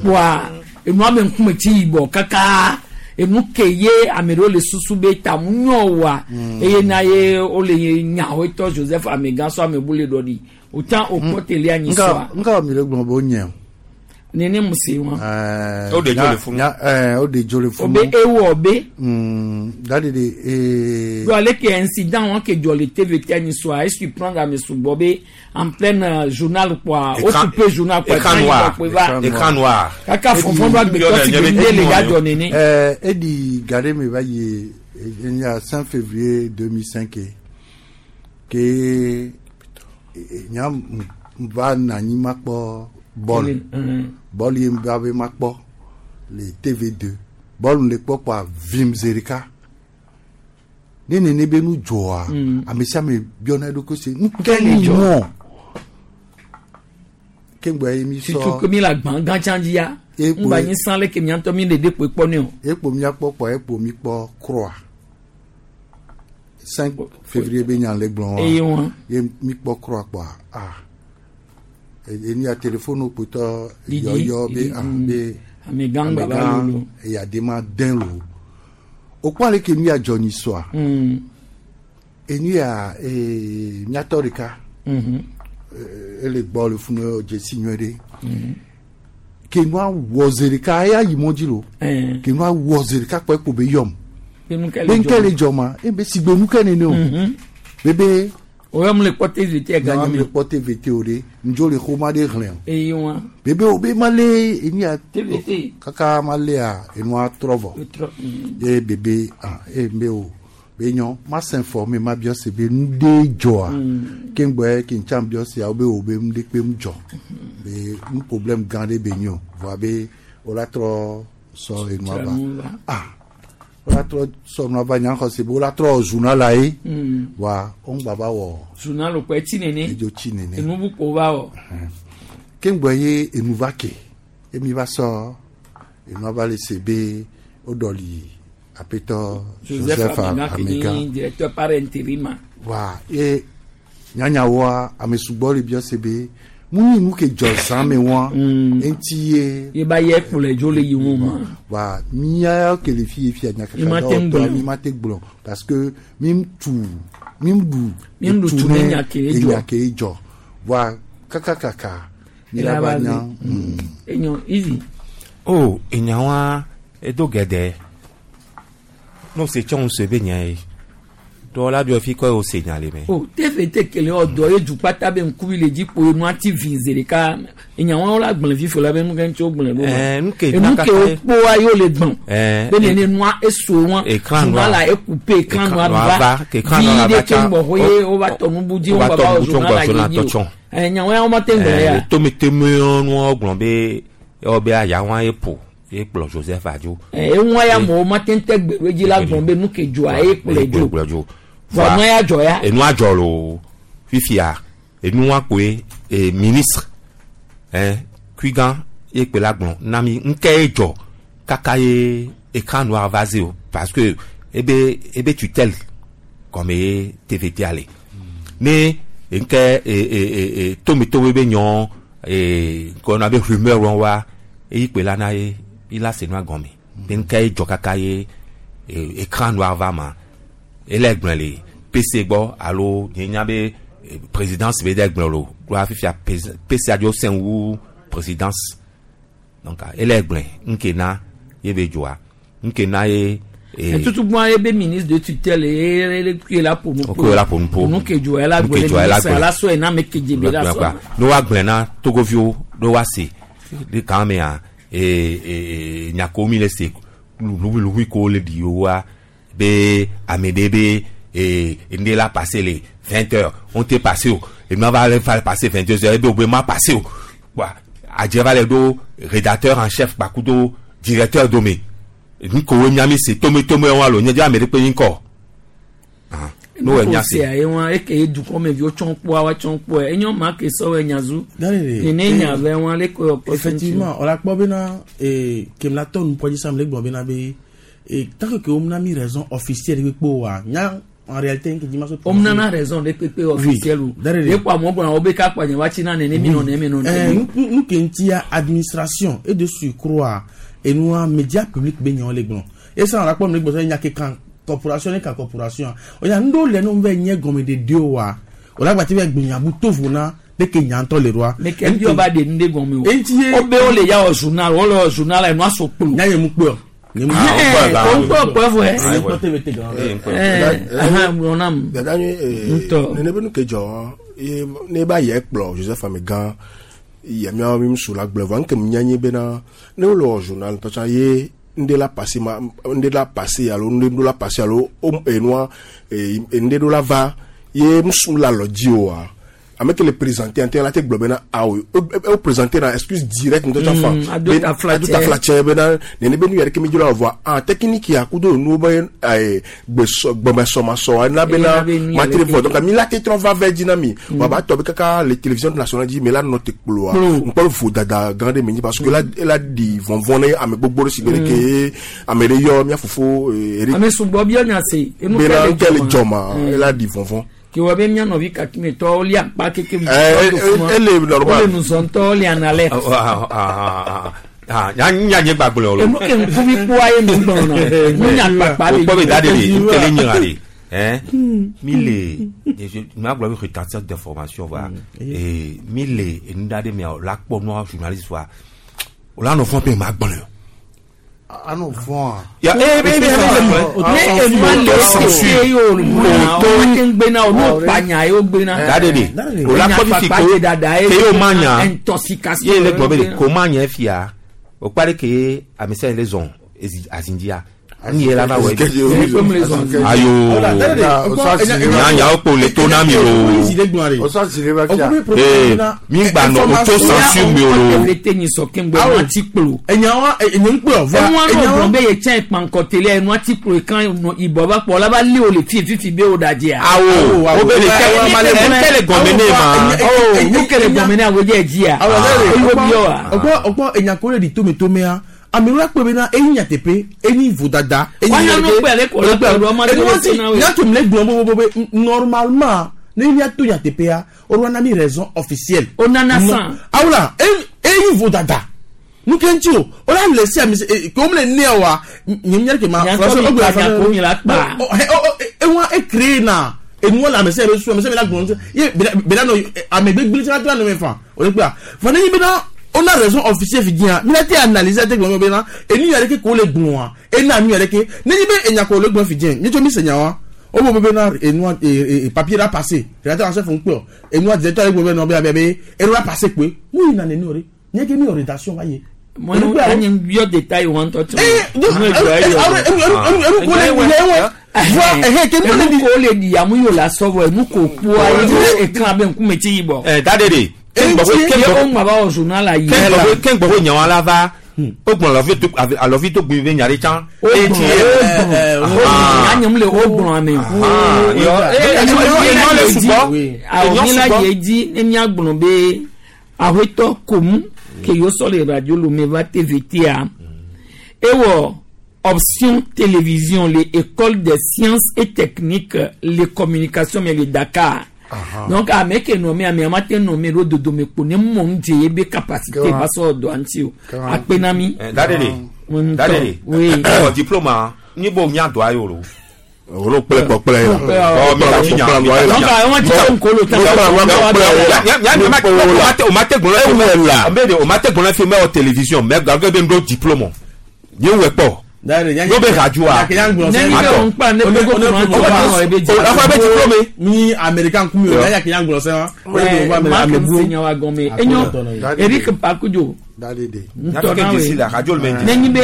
kpɔa enua be ŋkume tsi yibɔ kaka enu ke ye ame ɖewo le susu be tamu nyɔ wa eye na ye wo le nyawo tɔ Joseph Amegã sɔ ame bu le ɖɔ ɖi o tan o kpɔ telia nyisɔa Nka mi le gblɔ be o nye o. nene mu se wa O de dzo le funu. O de dzo le o funu. be ewɔ be. Dadi de ee. Do ale ke incident wọn ke jɔ le tvt anyisɔa e surprendre ame sugbɔ be en plein journal kpɔa o Écran- coupe journal kpɔa écran noir. Écran noir. Kaka fɔnfɔn do agbetɔ ti be ne le ya jɔ nene. Edi gade mi va yi enya 5 février 2005 ye, ke nya m va na anyi ma kpɔ bɔl bɔl ye m va be ma kpɔ le TV2 bɔl le kpɔ kpɔa vim zi ɖeka ne nene be nu dzɔa ame sia ame biɔna eɖokui se nu ke le ni dzɔ? mɔ ke ŋgbɔ ye mi Surtout sɔ que mi la gbã gã tsã dzi ya Ekpo- ŋgba nyi san le ke miatɔ mi le de kpe kpɔ ne o. ekpo miakpɔ kpɔ ekpo mi kpɔ croix 5 février be nya le gblɔ wa Eye wa. ye mi kpɔ croix kpɔa ah eni ya téléphone kpotɔ Didi, yɔyɔ be didi, ah be Amegã ŋgba va lolo. eya ma den lo o kpɔ ale ke nu ya dzɔ nyi sɔa enu ya ee miatɔ ɖeka ele gbɔ le funu dzesi nyuie ɖe ke nua wɔ zi ɖeka eya yi mɔ dzi lo ke nua wɔ zi ɖeka kpɔ ekpo be yɔm Be nu ke be le ŋkɛ le dzɔ. dzɔ ma ebe sigbe nu ke nene o bebe O yɔ mu le kpɔ tvt nya gã mu nyi le kpɔ tvt o de ŋdzo le xɔma ɖe xlẽ o Eye wa. bebe o be ma le enu ya TVT. kaka ma lea enua trɔ vɔ Trɔ. ye bebe ah e be o be nyɔ ma s'informer ma biɔ se be nu de dzɔa ke ŋgbɔ ke ŋtsa biɔ se awo be o be nu de kpe nu dzɔ be nu problème gã ɖe be nyo voa be o la trɔ sɔ enua Trɔ va nu va. ah o la trɔ sɔ nua va nya xɔ se be o la trɔ journal la ye voa o ŋgba va wɔ Journal kpɔ etsi nene. edzo tsi nene Enu bu ko va wɔ. ke ŋgbɔ ye enu va ke emi va sɔ enua va le se be o ɖɔli apetɔ Joseph Joseph Amegã ke Amegã nyi directeur par intérim. wa ye nyanyawoa ame sugbɔ le biɔ se be mu nyi nu ke dzɔ zã me wa eŋuti ye Ye ba yɛ kplɔe dzo le yi ŋu ma. wa mía ke le fi ye fia Mi ma te ŋu nyakaka gblɔ. mi ma te gblɔ parce que mi tu mi ɖu Mi ɖu tu ne nya ke ye dzɔ. enya ke ye dzɔ wa kakakaka Mi la va nya. Enyo easy. O enya wa edo gɛdɛ n'o se tsɔn se be nya ye dɔw la bi fi kɔ o se nya le mɛ. O tefe te kele ɔdɔ ye dukpata be ŋkuvi le dzi kpo enu ati vi zi ɖeka enya wɔn la gblẽ fifo la be nu ke ŋuti wo gblẽ ɖo. Ɛɛ nu ke Enu ke wo kpoa ye wo le gbɔn. Ɛɛ Be nene nua eso wɔn. Écran noir. la ekupe écran noir noir va. va, ke écran noir Vi va ɖe tsa. ke ŋgbɔ xɔ ye wo va tɔ nubu dzi Wo wo va va tɔ va nubu journal tsɔ la journal ye dzi tɔ o. tsɔ. Ɛɛ nya wɔn ya wo ma te ŋgblẽ ya. tometemewo gblɔ be ewɔ be ayawa ye ƒo ye kplɔ Joseph adzo. Ɛɛ eŋua ya mɔ wo ma te ŋtɛ gbe ɖo edzi la gblɔ be nu ke dzoa ye kplɔe dzo. kplɔe dzo. Vɔ nua ya dzɔ ya. Enua dzɔ loo fifia enua koe e ministre ɛn kuigan ye kpe la gblɔ na mi ŋkɛ ye dzɔ kaka ye écran noir va ze o parce que ebe ebe tutelle gɔme ye TVT ale ne ŋkɛ e e e e tometome be nyɔ e kɔna be rumeur wɔn wa eyi kpe la na ye ila se nua gɔme be ŋkɛ ye dzɔ kaka ye e écran noir va ma ele gblẽ le PC gbɔ alo nye nya be eh, présidence be ɖe gblẽ lo ɖoa fifia PC aɖewo sẽ wu présidence donc ah, ele gblẽ ŋke na ye be dzoa ŋke na ye eh, Tutugbɔn ye be ministre de tutelle ye ye ye la ƒo nu Ko ye la ƒo nu ƒo. Nu ke dzo ya la Nu ke gblẽ dzɔa, ela ministre gblẽ. la sɔe na ame ke dze be la gblẽ sɔ. kpa ne woagblẽ na togoviwo ɖo woase ɖe kan mea ee ee nyakewo mi le se luhuiluhui kewo le ɖi woa be ame ɖe be ee ŋɖe la passe le 20 heures on te passe o enua va le va passe 22 heures ebe wo be ma passe o kpoa adze va le ɖo rédacteur en chef kpakudo directeur dome nu kewo nya mi se tometome wa lo nye dze ame ɖe kpe nyi ŋkɔ ah n'o wɔ nya se. Sea ye wọn eke ye dukɔmeviwo tsɔn kpɔa wa tsɔn kpɔa enyo ma ke sɔwɔ nyazu. Nene nya vɛ wọn le ko yɔ Effectivement, on la kpɔ bena eh, ke mla tɔ nu kpɔ dzi sam le gblɔ bena be eh, tant que ke wo mna mi raison officielle kpekpe oa nya en réalité nke dzi ma so. Omnana raison de kpekpe officiel o. Derere. Ye kɔ amewo gblɔna wo be kakpa nye wa tsi na nene mi nɔ nene mi nɔ Eh, nene. nu ke ŋutia administration et de surcroît enua média public be nyawo le gblɔ esa la kpɔ mi le gblɔ sɔ nya ke kan corporation ne kan corporation o ya nu ɖewo le nu be nye gɔmeɖeɖe oa o la gbati be gbonyabu tovo na de ke nya ŋutɔ le ɖoa. Ne ke bi ɔba de nu de gɔme o. Eŋuti ye Wo be wo le ya wɔ journal wo le wɔ journal enua so kplo. Nya ye mu kpe o. Nye mu Ɛɛ o ŋkpɔ kpɔ fɔ yɛ. Nye kpɔ TVT gan. Ɛɛ ahan gblɔ nam. Dada nyui Ŋutɔ. nene be nu ke dzɔ ye ne ba yɛ kplɔ Joseph Amegã yɛ miawo mi ŋsu la gblɔ vɔ ŋke mi nya nyi bena ne wole wɔ journal ŋutɔ tsã ye ŋɖe la passe ma ŋɖe la passe alo ŋɖe ɖo la passe alo o enua ŋɖe ɖo la va ye ŋsu la lɔ dzi oa ame ke le présenter ŋutɔ la te gblɔ bena awo o présenter na excuse direct ŋutɔ tsã fa Ado ta fla ado ta tsɛ. fla tsɛ bena nene be nu ya ɖeke mi dzro la vɔa ah technique ya kudo nuwo be gbesɔ gbɔmesɔmasɔ ena bena Ena be nu ya matre ɖeke. vɔ donc mi la te trɔ va vɛ dzi na mi wa ba tɔ be kaka le télévision nationale dzi mi la nɔ te kploa Kplo. ŋkpɔ vodada gã ɖe mi nyi parce que la ela ɖi vɔvɔ̃ ne ame gbogbo ɖe si gbe ɖeke ye ame ɖe yɔ mía fofo Eric Ame sugbɔ bi nya se. Enu bena ke ŋkɛ le le dzɔma Mm. ela ɖi vɔvɔ̃. Ke wɔ be mía nɔvi kakimetɔwo li akpa keke. Eh, eh, ele normal. Wole nuzɔntɔwo li analɛ. Ah, ah, ah, nya nye gbagblɔ o. Enu ke ŋkuvi kpɔa ye nu gblɔna. Nu nya kpakpa le o kpɔ be da de le dzi. nkele nyira de hein mi le ma gblɔ be retentisseur d'information va ee mi le enu da de mea o la kpɔ nua journaliste va o la nɔ fɔn pe ma gblɔ Ano fɔn a. Ya, eh, eh, eh, eh, Ne enua le ese ye o muna o ma te ŋgbe na o n'o kpa nya ye o gbe na. Da de de o la kpɔ fifi ko dada ye ke ye o ma nya intoxication. ye le gblɔ be de ko ma nya fia o kpa de ke ye ame sia le zɔn ezi azindzia nu ye la va wɔ ayo nya nyawo kpo le to na mi o. Ee, mi gba nɔ auto censure mi o lo. Evete nyi sɔ ke ŋgbe enua ti kplo. Enyawa enye ŋkpɔ vɔ. Enua n'o gblɔ be ye tsɛ kpankɔteli enua ti kplo kan ibɔ ba kpɔ la ba li o le fi fifi be o da dzia. Awo, o be le kɛ nkɛ le gɔmɛ ne ma. O nu ke le gɔmɛ ne awo dze dzia. Eyo bi yɔ wa. Ɔkpɔ ɔkpɔ enyako le ɖi tometomea amewo la kpɔ bena eyi nyateƒe eyi vodada. Wáyà ló pẹ̀ lẹ́kọ̀ọ́ lọ́pẹ̀ ọ̀dọ́ ọmọdé ló ti náà wẹ̀. Nyàtò mi le gblɔ bobobo be normalement ne miato nyateƒea o ɖo na mi raison officielle. O nana san. Awula eyi vodada nu ke ŋuti o o la le si ami se ke o le nea wa nye mi ke ma. Nyàtò mi kpa nyàkó mi la kpa. Ewa e créé na Enuwo le ame sia ame su ame sia ame la gblɔ ŋuti ye bena nɔ ame gbegblẽ tsã la nɔ me fa o le kpea. Vɔ ne nyi bena wona raison officielle fi dzia mi la te analyser ate gblɔ bena enu ya ɖeke ko le gblɔa ena nu ya ɖeke ne nyi be enya ko le gblɔ fi dzia mi tso mi se nya wa wo bo bena enua papier la passé rédacteur en chef ŋkpɔ enua directeur le gblɔ be nɔ be abe be enu la passé kpe mu yina nene o ɖe nye ke mi wɔ rédaction va ye. Mo yɔ détail wọn tɔ tún. Enu ko le yɛ wɛ enu ko le di amu yóò la sɔbɔ enu ko kpɔ ayi ekan abe ŋkume tsi yibɔ. Ɛ da de de. Ye o ŋma ba wɔ journal la yi. Ke ŋgbɔ nyawa la va o gblɔ alɔvi to gbe nya ɖe tsã. O gblɔ o gblɔ anyam le o gblɔ ame. Enyɔ le sugbɔ. Awɔ mi la ye dzi ne mía gblɔ be awetɔ komu ke yóò sɔ le radio Lomé va TVTA ewɔ option télévision le école des sciences et techniques les communications mais le Dakar. Donc ame ke nɔ me ame ama te nɔ me ɖo dodome kpo ne mɔ ŋu dze ye be capacité va sɔ dɔa ŋuti o akpe na mi. Da de de da de de oui. Ewɔ diplôme ni bo nya dɔa ye o lo. Olo kple kpɔkple ye la. Ɔ mi ka ti nya. Donc àwọn ti sọ nkolo tán. O ma te gbɔlɔ la. O ma te gbɔlɔ fi mɛ wɔ télévision mɛ gàgbé bɛ n do diplôme ye wɛ kpɔ. Yóò bɛ radio a. Ne bɛ n kpa ne bɛ ko kuran tó bá wɔ ebe jɛ. O bɛ diplôme. Ni américain kun mi o y'a kɛ yan gbɔlɔ sɛn wa. Maa kɛ se ɲɛ wa gɔnmɛ enyo Eric Pakujo. Ntɔ n'a ye ne nyi bɛ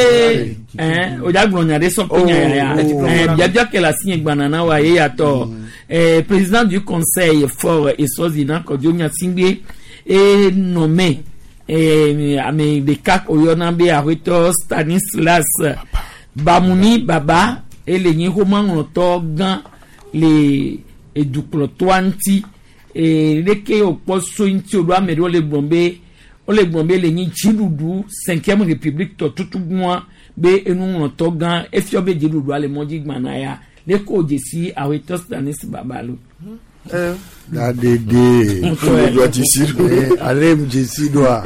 ɛn o ja gblɔ nya ɖe sɔ pe nya ya ɛn biabia ke le asi gbana na wa ye ya tɔ ɛn président du conseil Faure Essozimna Kodjo Gnassingbé e nommé ɛn ame ɖeka ko yɔna be aƒetɔ Stanislas Bamouni Baba ele nyi xomaŋlɔtɔ gã le edukplɔtɔa ŋuti ee leke wòkpɔ so ŋuti o ɖo ame ɖewo le gblɔm be wole gblɔm be le nyi dziɖuɖu cinquième république tɔ tutugbɔa be enuŋlɔtɔ gã efiɔ be dziɖuɖua le mɔdzi gbana ya leke wo dzesi aƒetɔ Stanis Baba lo. Da dede. Ale mu dzesi ɖoa.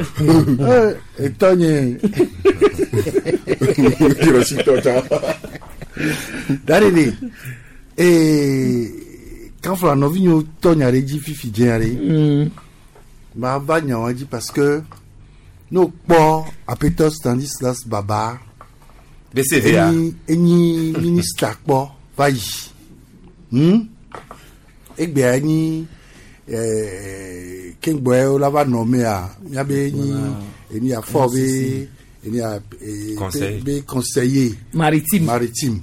Etɔ nye. Da dede. Kanfla nɔvinyewo tɔ nya ɖe dzi fifi dze ɖe. Ma va nya wa dzi parce que n'o kpɔ aƒetɔ Stanislas Baba. BCVA. Enyi ministre kpɔ va yi. Egbea enyi keŋgbɔe la va nɔ mea miabe enyi eni afɔ be eni a be conseiller maritime maritime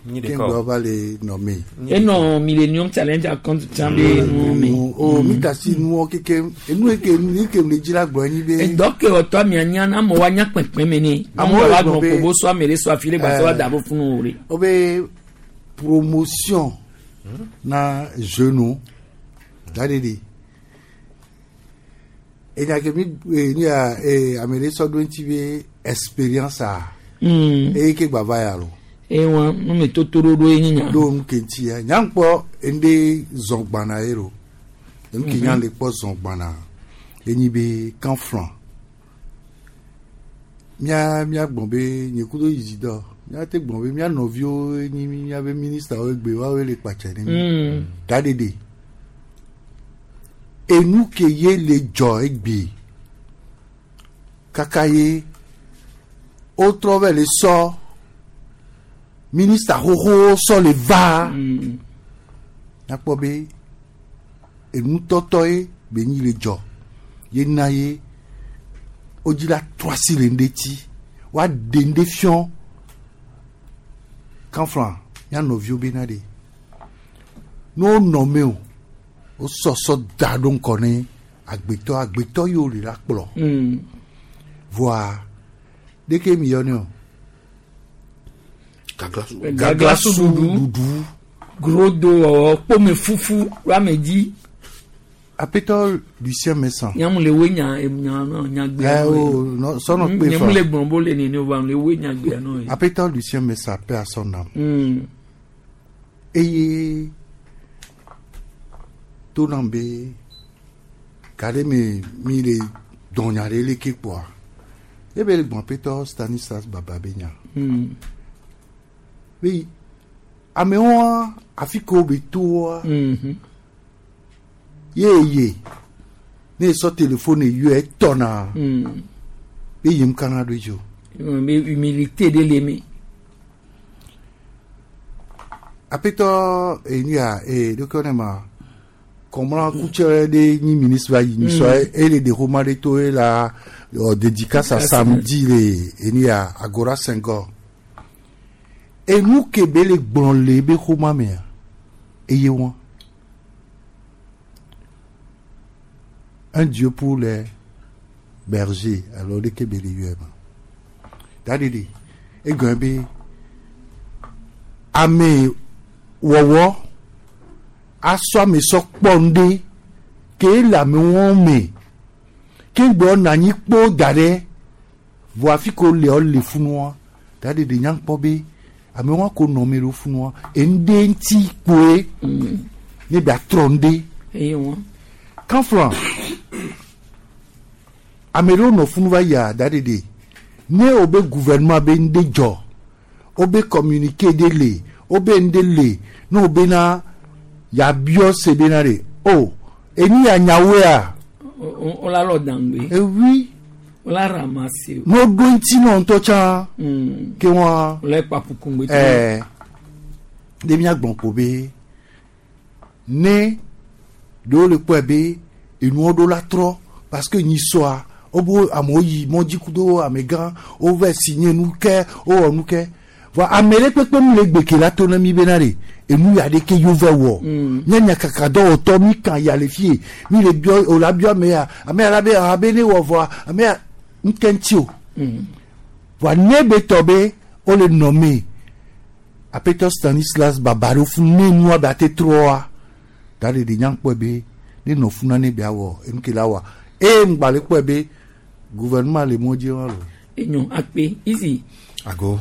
keŋgbɔe va le nɔ me. Enɔ Millennium Challenge account tsã be nu me. O mi ta si nuwɔ keke enu eke nu eke le dzi la gblɔ enyi be. Edɔ ke wɔtɔ amia nya na amewo anya kpɛnkpɛn me ne. Amewo wa gblɔ ko bo sɔ ame ɖe sɔ afi ɖe gbasɔ wa da bo funu o de. O be promotion na jeune da de enya ke mi ni ya ame ɖe sɔ ɖo ŋuti be expérience a eye ke gba va ya lo. Ewa nu me toto ɖoɖo ye nya. Ɖo nu ke ŋuti ya nya kpɔ ŋɖe zɔn gbana ye lo enu ke nya le kpɔ zɔn gbana enyi be kanflan mía mía gbɔn be nye kudo yizi dɔ mía te gbɔn be mía nɔviwo nyi míabe ministre wo egbe woawoe le kpatsɛ ne mi da ɖeɖe enu ke ye le dzɔ egbe kaka ye wotrɔ vɛ le sɔ ministre xoxowo sɔ le va nakpɔ be enutɔtɔ ye be nyi le dzɔ ye na ye wodzi la trɔ asi le ŋɖe ti woaɖe ŋɖe fiɔ kanflan mía nɔviwo bena ɖe ne wonɔ me o wosɔsɔ da ɖo ŋkɔ ne agbetɔ agbetɔ yiwo le la kplɔ voa ɖeke mi yɔ ne o. Gaglasu ɖuɖu grodo wɔwɔ kpome fufu ame dzi. Aƒetɔ Lucien Messan. Nyamu le we nya nya nya gbea. Ɛ o no sɔnɔ kpe fa. Nyamu le gblɔ bo le nene o ba le we nya gbea nɔ ye. Aƒetɔ Lucien Messan paix à son âme. Eye to nam be ga ɖe me mi le dɔnya ɖe leke kpoa ebe le gbɔn aƒetɔ Stanislas Baba be nya. Be Amewoa afi ke wo be toa. Ye ye ne sɔ téléphone yɔ etɔna. Be yim kana do dzo. Be humilité de le me. Apetɔ enu ya e ɖeke ne ma kɔmla kutsɛ ɖe nyi ministre va yi nyisɔ ele de xoma ɖe to ye la ɔ dédicace à samedi le enu ya Agora Senghor. Enu ke be le gblɔ le ebe xoma mea eye wɔn. Un Dieu pour les bergers alors ɖeke be le yɔe ma. Dadidi egɔme be ame wɔwɔ asɔ ame sɔ kpɔ ŋɖe ke le ame wɔn me ke gbɔ na anyi kpo da ɖe vɔ afi ko le le funua dadidi nya kpɔ be ame wɔn ko nɔ me ɖo funua eŋɖe ŋuti kpoe ne bia trɔ ŋɖe. Eye wɔn. Kanflan ame ɖewo nɔ funu va yia dadidi ne wo be gouvernement be ŋɖe dzɔ wo be communiqué ɖe le wo be ŋɖe le ne wo bena yabiɔ se bena ɖe o enu ya nyawoea. O la lɔ dangbe. Ewi. O la ramasse. Ne wo ɖo ŋuti nɔ ŋutɔ tsã. Ke wɔn. O la kpapu kungbe. Ɛɛ ɖe míagbɔn ko be ne ɖewo le kpɔe be enuwo ɖo la trɔ parce que nyisɔa wobo amewo yi mɔdzi kudo amegã wova signé nu ke wowɔ nu ke vɔ ame ɖe kpekpe mu le gbeke la to na mi bena ɖe enu ya ɖe ke yewo wɔ míanya kaka dɔwɔtɔ mi kan ya le fie mi le biɔ o la biɔ ame ya ame ya la be abe ne wɔ vɔa ame ya ŋkɛ ŋuti o vɔa ne be tɔ be wole nɔ me apetɔ Stanislas Babaro fún ne nua be ate trɔa da ɖe ɖe nya kpɔe be ne nɔ funa ne bia wɔ enu ke la wa eye ŋgba le kpɔe be gouvernement le mɔ dzi wa lo. Enyo akpe izi. Ago.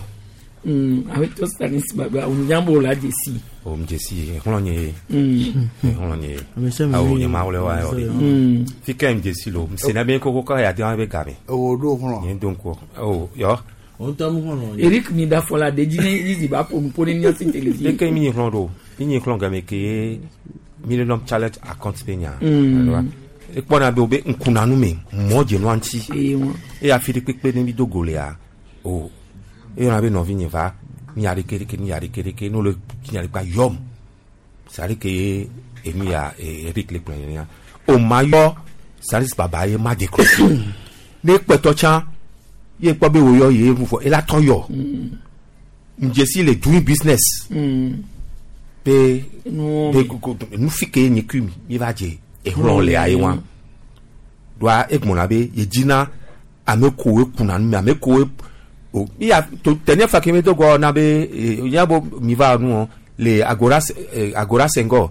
Awetɔ Stanis Baba onyambo la desi. O m dzesi exlɔ nye. Exlɔ nye. Awo nye ma wole wa yɔ de. Fi ke m dzesi lo. M sena be koko ka ya de wa be game. Ewo ɖo xlɔ. Nye do ŋkɔ. O yɔ. Eric mi da fɔ la de dzi ne izi ba ƒo nuƒo ne míasi télévision. Leke mi nyi xlɔ ɖo. Mi nyi xlɔ game ke mi le lɔm challenge account be nya. Ekpɔna be wo be ŋkunanu me mɔ dze nua ŋuti. Eye afi ɖe kpekpe ne mi do go lea o eyɔna be nɔvi nye va mi ya ɖeke ɖeke mi ya ɖeke ɖeke ne wole nya ɖe kpa yɔm c'est-à-dire que enu ya Eric le kplɔ nenia o ma yɔ Stanis Baba ye ma décrocher ne kpɛtɔ tsã ye kpɔ be wo yɔ ye nu fɔ ela tɔ yɔ njesi le doing business be be nu fi ke nye kui mi mi va dze exlɔ lea ye wa doa egbɔna be ye dzina ame kowoe kuna nu me ame kowoe o iya to dernière fois ke mi do gɔ na be ya bo mi va nu le Agora Agora Senghor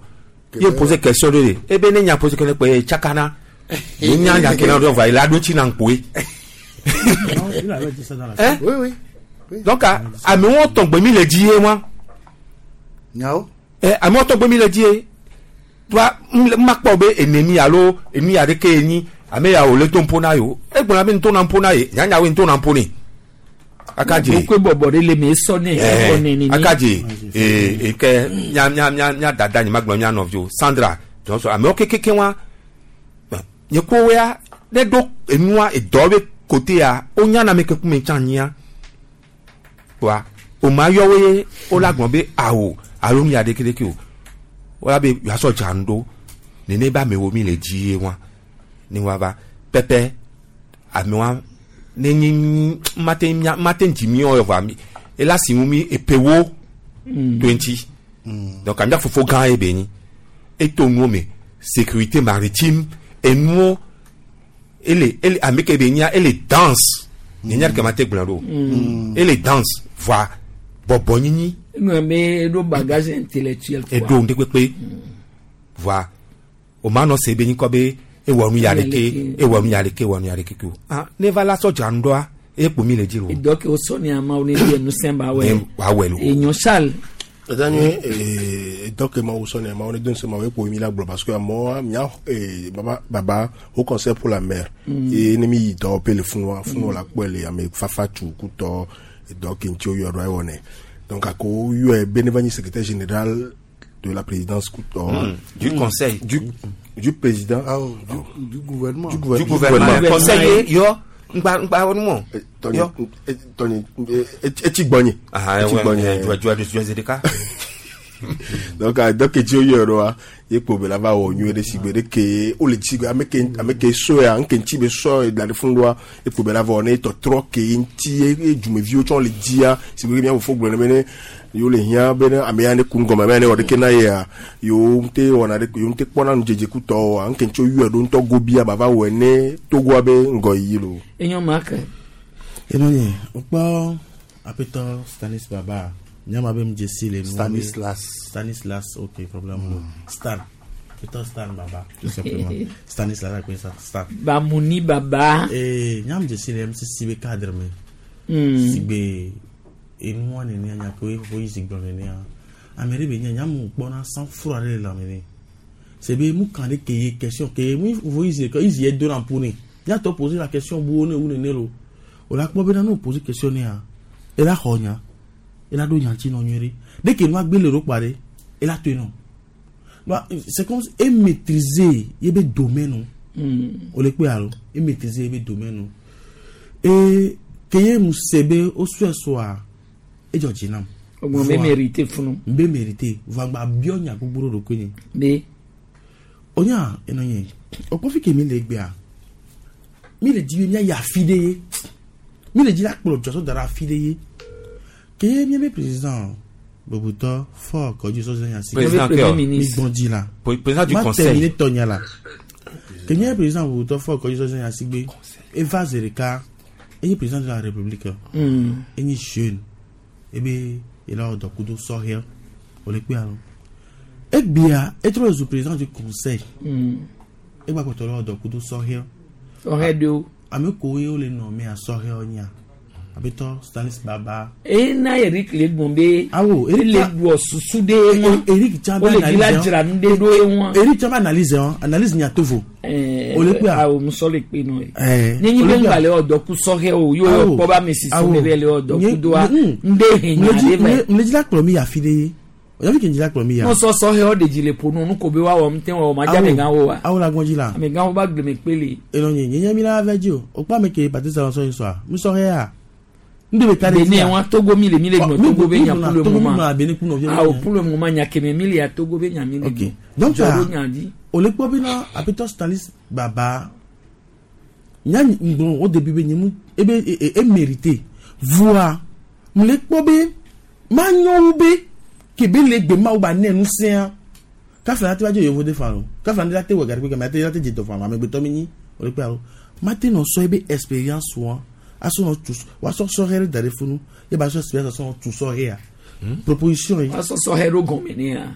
ye pose question de de ebe ne nya pose question kpe tsakana ye nya nya ke na do va ila do tsi na ŋkpoe. Hein? Oui, oui. Donc amewo tɔgbe mi le dzi ye wa. Nyawo. Ɛ amewo tɔgbe mi le dzi ye. Toa ma kpɔ be enemi alo enu ya ɖeke ye nyi ame ya wòle to ŋpo na ye o egblɔna be ŋto na ŋpo na ye nyanyawoe ŋto na ŋpo ne. Akadze. Wokpe bɔbɔ ɖe le me esɔ ne ɛfɔ ne ne. Akadze ee eke mia mia mia mia dada nye ma gblɔ mia nɔviwo Sandra Johnson amewo kekeke wa nye ko ya ne ɖo enua edɔ be kote ya wonya na ame ke kume tsã nyia wa o ma yɔ wo ye wo la gblɔ be awo alo nu ya ɖeke ɖeke o wo la be yasɔ dza nu ɖo nene be amewo mi le dzi ye wa ne wa va pɛpɛ amewa ne nyi mate mia mate dzi mi yɔ va mi ela si ŋu mi epewo 20 donc amia fofo gã ye be nyi eto nuwo me sécurité maritime enuwo ele ele ame ke be nya ele danse nye nya ɖeke ma te gblɔ ɖo ele danse voa bɔbɔ nyinyi. Ŋlɔ be eɖo bagage intellectuel. Eɖo ŋɖe kpekpe voa o ma nɔ se be nyikɔ be ewɔ nu ya ɖeke ewɔ nu ya ɖeke ewɔ nu ya ɖeke o ah ne va la sɔ dzra nu ɖoa eye kpo mi le dzi o. Edɔ ke wosɔ ne amewo ne di enu ba wɛ. Wa wɛ lo. Enyo Charles. Ɛdanye edɔ ke ma wosɔ ne amewo ne do ŋusẽ ma wo ekpo mi la gblɔ parce que amewo mia baba baba Haut Conseil pour la mer ye ne mi yi dɔwɔƒe le funua funua la kpɔe le ame fafa tu kutɔ edɔ ke ŋuti woyɔ ɖo ewɔ nɛ. Donc ako yɔe be ne va nyi secrétaire général de la présidence Du conseil. Du président. Ah, oh, du gouvernement. Du, Du gouvernement. Conseiller, yo. Ngba ngba wonu mo. Tɔnye tɔnye etsi gbɔnye. Ah, Etsi ouais, gbɔnye. ouais, tu as tu as ɖeka. Donc donc etsi wo yɔe ɖoa ye kpo be la va wɔ nyuie ɖe sigbe ɖe ke wole tsi gbe ame ke ame ke sɔe ŋke ŋtsi be sɔ da ɖe funu ɖoa ekpo be la va wɔ ne tɔtrɔ ke ŋtsi ye ye dzumeviwo tsɔ le dzia sigbe ke mía fofo gblɔ ne be ne yewo le hiã be ne ame ya ne ku ŋgɔme ame ya ne wɔ ɖeke na yea yewo ŋute wɔna ɖe yewo ŋute kpɔna nudzedze kutɔ oa ŋke ŋtsi wo yɔe ɖo ŋutɔ gobia ba va wɔe ne Togoa be ŋgɔyiyi loo. Enyo ma ke. Eno nye, wokpɔ aƒetɔ Stanis Baba, nyama be mdze si le nua be- Stanislas. Stanislas, ok, problème mm. Stan. Aƒetɔ Stan Baba, tout simplement. Stanislas akpe sa Stan. Bamuni Baba. Eh, nyama dze si le MCC be cadre me. Sigbe enua nenea nya ke wo yi zi gblɔ nenea. Ame ɖe be nye nyamu kpɔna sang froid ɖe le lãme nɛ. C'est be mu kan ɖe ke ye question ke ye mu vo yi zi ke yi zi ye do na ƒo nɛ. Miatɔ poser la question bu wo ne wu nene lo. O la kpɔ bena ne o poser question nɛa, ela xɔ nya, ela ɖo nya ŋuti nɔ nyuie ɖe. Ɖe ke nua gbe le ɖo kpa ɖe, ela toe nɔ. Ba c'est comme si e maîtriser ye be domaine o. O le kpe alo, e maîtriser ye be domaine o. E ke ye mu se be o sɔe sɔa, edzɔ dzi nam. Ogbɔn be Voa- mérité funu. Be mérité. Voa gba biɔ nya gbogbo ɖo ɖokui nye. Be. Onya enɔ nye. O kpɔ fi ke mi le egbea. Mi le dzi be míayi afi ɖe ye. Mi le dzi la kplɔ dzɔsɔ da ɖe afi ɖe ye. Ke ye míabe président bubutɔ Faure Kɔdzi Sɔsɔ Nyasi. Président Premier ke? Mi ministre. gbɔn dzi la. Président du Ma conseil. terminer tɔnya la. Ke nye président bubutɔ Faure Kɔdzi Sɔsɔ Nyasi gbe. Eva zi ɖeka. Enye président de la république. Enye jeune. Ebe yela wɔ dɔ kudo sɔhɛ. Wòle kpe alo. Egbea etrɔ zu président du conseil. Egba kpɔtɔ le wɔ dɔ kudo sɔhɛ. Sɔhɛ ɖewo. Ame kowoe wole nɔ mea sɔhɛwo nyia. Aƒetɔ Stanis Baba. Ena Eric le gbɔn be. Awo Eric ele wɔ susu ɖe ye ŋu. Eric tsã be Wole dzi la analyse dzra nu ɖe ɖo ye ŋua. Eric tsã be analyse hã analyse nya tovo. Ɛɛ, Wòle kpea. Awo musɔ le kpe nɔ ye. Ɛɛ, Nye nyi be wòle kpea. ŋgba le wɔ dɔ ku sɔhɛ o, yo Awo. kpɔ be ame sisi Awo. le be le wɔ dɔ Nye- ku doa. mm. Ŋɖe he nya Mle dzi- ɖe vɛ. mle dzi la kplɔ mi yi afi ɖe ye. Oyafi ke dzi la kplɔ mi ya. No sɔ sɔhɛwo ɖe dzi le ƒo nu, nu ko be woawɔ ŋute wɔ ma dze amegãwo wa. Awo la gbɔn dzi la. Amegãwo ba gbleme kpe le. Enɔ nye nye nye mi la vɛ dzi o. O kpɔ ame ke Patrice Talon sɔ yi sɔa. Mi sɔhɛ ya. Ŋɖe be ka ɖe Benin dzi ya. wa Togo mi le mi le Ɔ, gbɔ mi Togo be mi nya gblɔna pour le Togo, mi moment. gblɔna Benin ku nɔviwo Awo nya. pour le moment nya keme mi le ya Togo be nya mi le gbɔ. Donc Dzɔ ɖo ah, nya dzi. o le kpɔ bena aƒetɔ Stanis Baba nya ŋgblɔ o début be nye mu ebe e e e mérité voa mu le kpɔ be ma nyɔ wu be ke be le gbe mawu ba ne nu sẽa kafla la te va dzo yevo de fa lo kafla ne la te wɔ gari kpe game la te dze dɔ fa amegbetɔ mi nyi o le kpe alo ma te nɔ sɔ ebe expérience wa asɔ nɔ tu wa sɔ sɔhɛ ɖe da ɖe funu ye ba sɔ expérience sɔ nɔ tu sɔhɛ ya proposition yi. Wa sɔ sɔhɛ ɖo gɔme ne ya.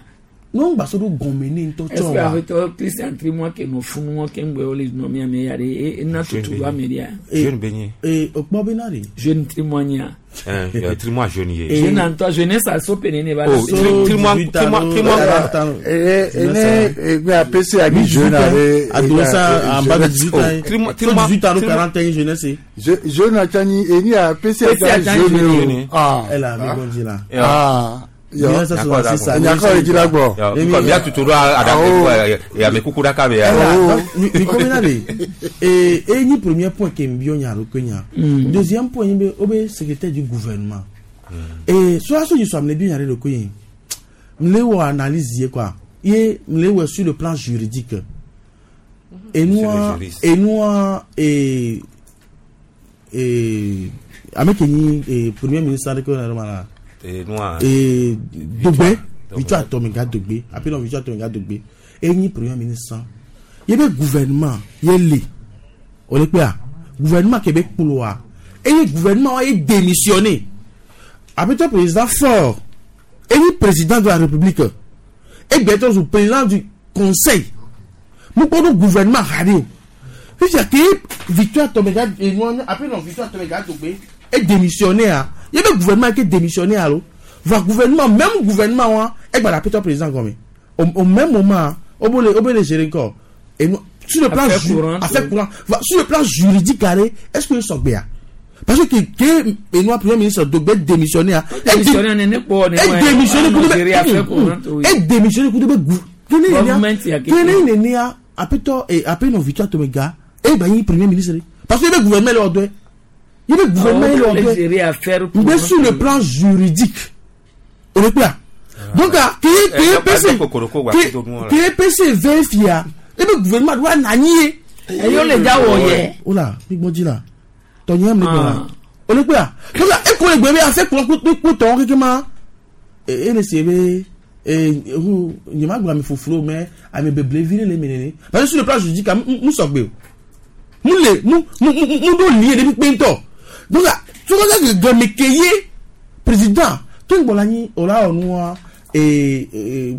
Ne ŋgba sɔ ɖo gɔme ne ŋutɔ Est-ce tsɔ que wa. aƒetɔ Christian Trimwa ke nɔ funu wɔn ke ŋgbɛ wole nɔ mia me ya ɖe e ena tutu ɖo ame ɖea. Jeune be nye. Ee o kpɔ bena de. Jeune Trimwa nyea. Trimwa jeune ye. Jeune ŋutɔ jeunesse aso pe nene va. Oh, Trimwa Trimwa Trimwa. Ene egbe apese agi jeune are. Adolescent en bas de 18 ans. Trimwa Trimwa 18 ans 41 jeunesse. Jeune atani eni apese agi jeune o. Ah. Elle a mi gbɔn dzi la. Ah. Yo. 1966. Nyakɔ le dzi la gbɔ. Nkɔ mia tutu ɖo aɖa amekuku ɖaka be ya. Mi kɔ bena de ee e nyi premier point ke mi biɔ nya alo ke nya. Deuxième point nyi be o be secrétaire du gouvernement. Ee sɔrɔso yi sɔ ame le biɔ nya ɖe ɖo ko ye. Mi le wɔ analyse ye quoi. Ye mi le wɔ sur le plan juridique. Enua Monsieur le juriste. enua ee ee ame ke nyi ee premier ministre aɖe ke wo le ma la. Enua. Ee Dogbe Victoire Tomenga Dogbe appelons Victoire Tomenga Dogbe enyi premier ministre ye be gouvernement ye le o le kpea gouvernement ke be kploa eye gouvernement wa ye démissionné aƒetɔ président Faure enyi président de la république egbetɔ zu président du conseil mukpɔ ɖo gouvernement ha ɖe o fifia ke Victoire Tomenga enua appelons Victoire Tomenga Dogbe e démissionné a ye be gouvernement ke démissionné alo va gouvernement même gouvernement wa egba la aƒetɔ président gɔme au au même moment o bo le o bo le gérer encore et nous sur le plan Affaire ju courante, affaire oui. courante va sur le plan juridique carré est-ce que sɔgbea Parce que ke enua premier ministre Dogbe démissionné a. Démissionné ne kpɔ ne E démissionné kudo gérer affaire courante, be oui. e démissionné kudo be gu. Kene Government ya nenia keke. kene nenia apetɔ e apenɔ Victoire Tomega e gba nyi premier ministre parce que ebe gouvernement le wɔ dɔe. Ebe gouvernement le wɔ dɔe. gérer affaire Mais courante. sur le plan juridique, on est là. Donc, ah, qui Eh, est PC, qui est PC vérifie, et le gouvernement doit nanier. Eh, yo le ja wɔ yɛ. Oh là, mi gbọ́n jí la. Tọ̀yìn mi gbọ́n la. On est là. Donc, ah, e kò lè gbé afẹ́ kúrọ́ kó tọ̀ kékeré ma. E le se be e hu nyema gba mi foforo mais ame beble vi le mi nene. Parce que sur le plan juridique, ah, mu sọ gbé o. Mu le mu mu mu mu do lié depuis pé ntɔ. Donc, ah, tó kọ́ sẹ́ gẹ̀mí kéye président tó ń gbọ́la yín ọ̀la ọ̀nù wa ee ee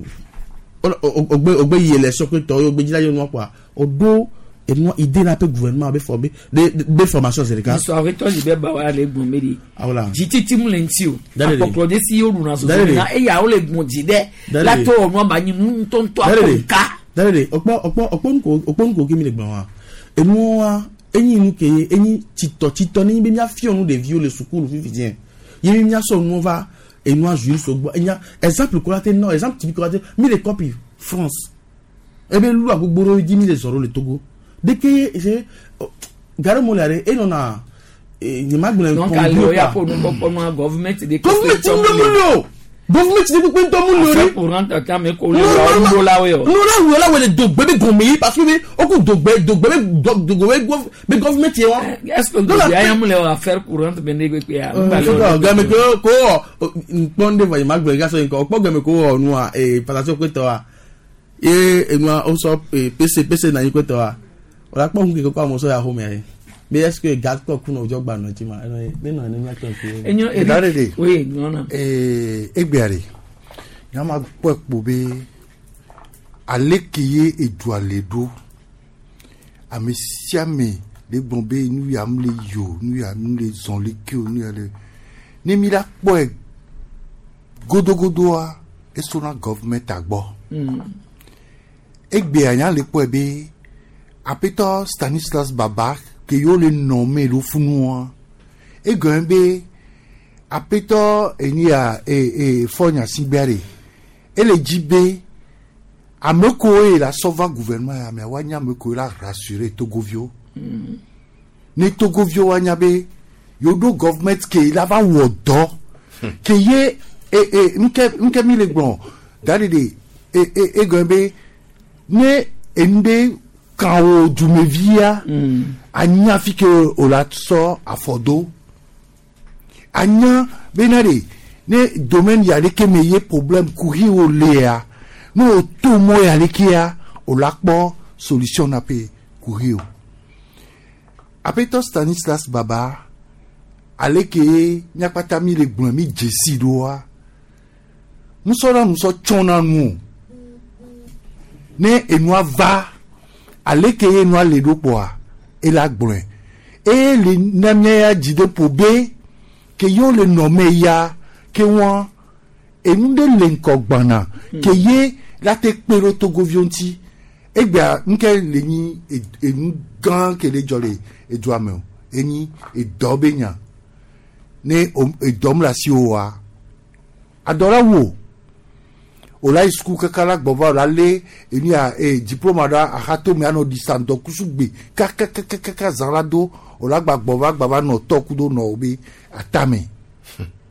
ogbe ogbe yi élection pé tọ́ ogbe jíjá yóò nù ọ̀pọ̀ ọ̀dọ́ ẹnu ìdè náà pé gouvernement bẹ fọ bẹ de formation zèrèká. Sọ awetɔ si bɛ ba wa le gbɔn mi de. Awola. Dzititi mu le ŋuti o. Dale de. Akpɔkplɔ de si yóò ɖuna soso Dale de. na eya wo le gbɔn dzi dɛ. Dale de. Latɔ wɔnua ba nyi nu ŋutɔŋutɔ Dale de. akɔ nka. Dale de ọ̀pọ̀ ọ̀pọ̀ ọ̀pọ̀ nukò ọ̀pọ̀ nukò kí mi lè gbọ̀n wa enu wa enyi nu ke enyi tsitɔ tsitɔ ne be miafia nu ɖeviwo le sukulu fifi diɛ ye mi miasɔ nu va enua juif so gbɔ enya exemple kola te nɔ exemple typique kola te mi le copie France ebe lu agbogbo dzi mi le zɔ ɖo le Togo deke se gare mo le are enɔna nyema gblẽ Donc ale o ya ƒo nu kpɔkpɔ nua gɔvumɛnti de. Government ŋdɔ mu le o government de kpekpe ŋdɔ mu le o Affaire courante kame ko le wa ŋdo la wo yɔ. nu la wɔ la wɔ le dogbe be gɔme yi parce que be o ku dogbe dogbe be dogbe be be government ye wa. Est-ce que dogbe aya mu le wɔ affaire courante bɛ ne gbegbe ya. Gɛmɛ ko ko wɔ nkpɔn de vɔ yi ma gblɔ gasɔ yi kɔ kpɔ gɛmɛ ko wɔ nua ee patasi kpetɔ wa ye enua o sɔ ee pc pc na anyi kpetɔ wa o la kpɔ ŋu keke kɔ amewo sɔ ya xɔme ye be est ce que gaz kɔ ku na o dzɔ gba nɔ dzi ma ɛnɔ ye ne nɔ ne mia tɔ fi. Dare de. Oui, nɔna. Ee egbea de nyama kpɔ kpo be ale ke ye edua le ɖo ame sia ame le gblɔ be nu ya mu le yi o nu ya mu le zɔn le ke o nu ya le ne mi la kpɔe godogodoa esona gɔvumɛnta gbɔ. Egbea nya le kpɔe be aƒetɔ Stanislas Baba ke yewo le nɔ me ɖo funua egɔme be aƒetɔ enia e e fɔ nyasigbe ɖe ele dzi be ame kowo ye la sɔ va gouvernement ya mea woanye ame kowo la rassurer togoviwo ne togoviwo woanya be yewo ɖo government ke la va wɔ dɔ ke ye e e nuke nuke mi le gblɔ da ɖe de e e egɔme be ne enu ɖe kan wo dumevia anya fi ke o la sɔ afɔ do anya bena de ne domaine ya ɖeke me ye problème kuxi wo lea ne o to mɔ ya ɖekea o la kpɔ solution na pe kuxi o aƒetɔ Stanislas Baba ale ke míakpata mi le gblɔ mi dzesi ɖoa nusɔ na nusɔ tsɔna nu o ne enua va ale ke enua le ɖo kpoa ela gblɔe eye le na mía ya dzi ɖe ƒo be ke yewo le nɔme ya ke wɔn enu ɖe le ŋkɔ gbana ke ye la te kpe ɖo togoviwo ŋuti egbea nuke le nyi enu gã ke le dzɔ le edua me o enyi edɔ be nya ne edɔ mu le asi wo wa adɔ la wu o o la yi suku kaka la gbɔ va o la lé enu ya e diplôme ɖe axatome anɔ ɖisa ŋdɔkusu gbe kakakakaka zã la do o la gba gbɔ va gba va nɔ tɔ kudo nɔ wo be atame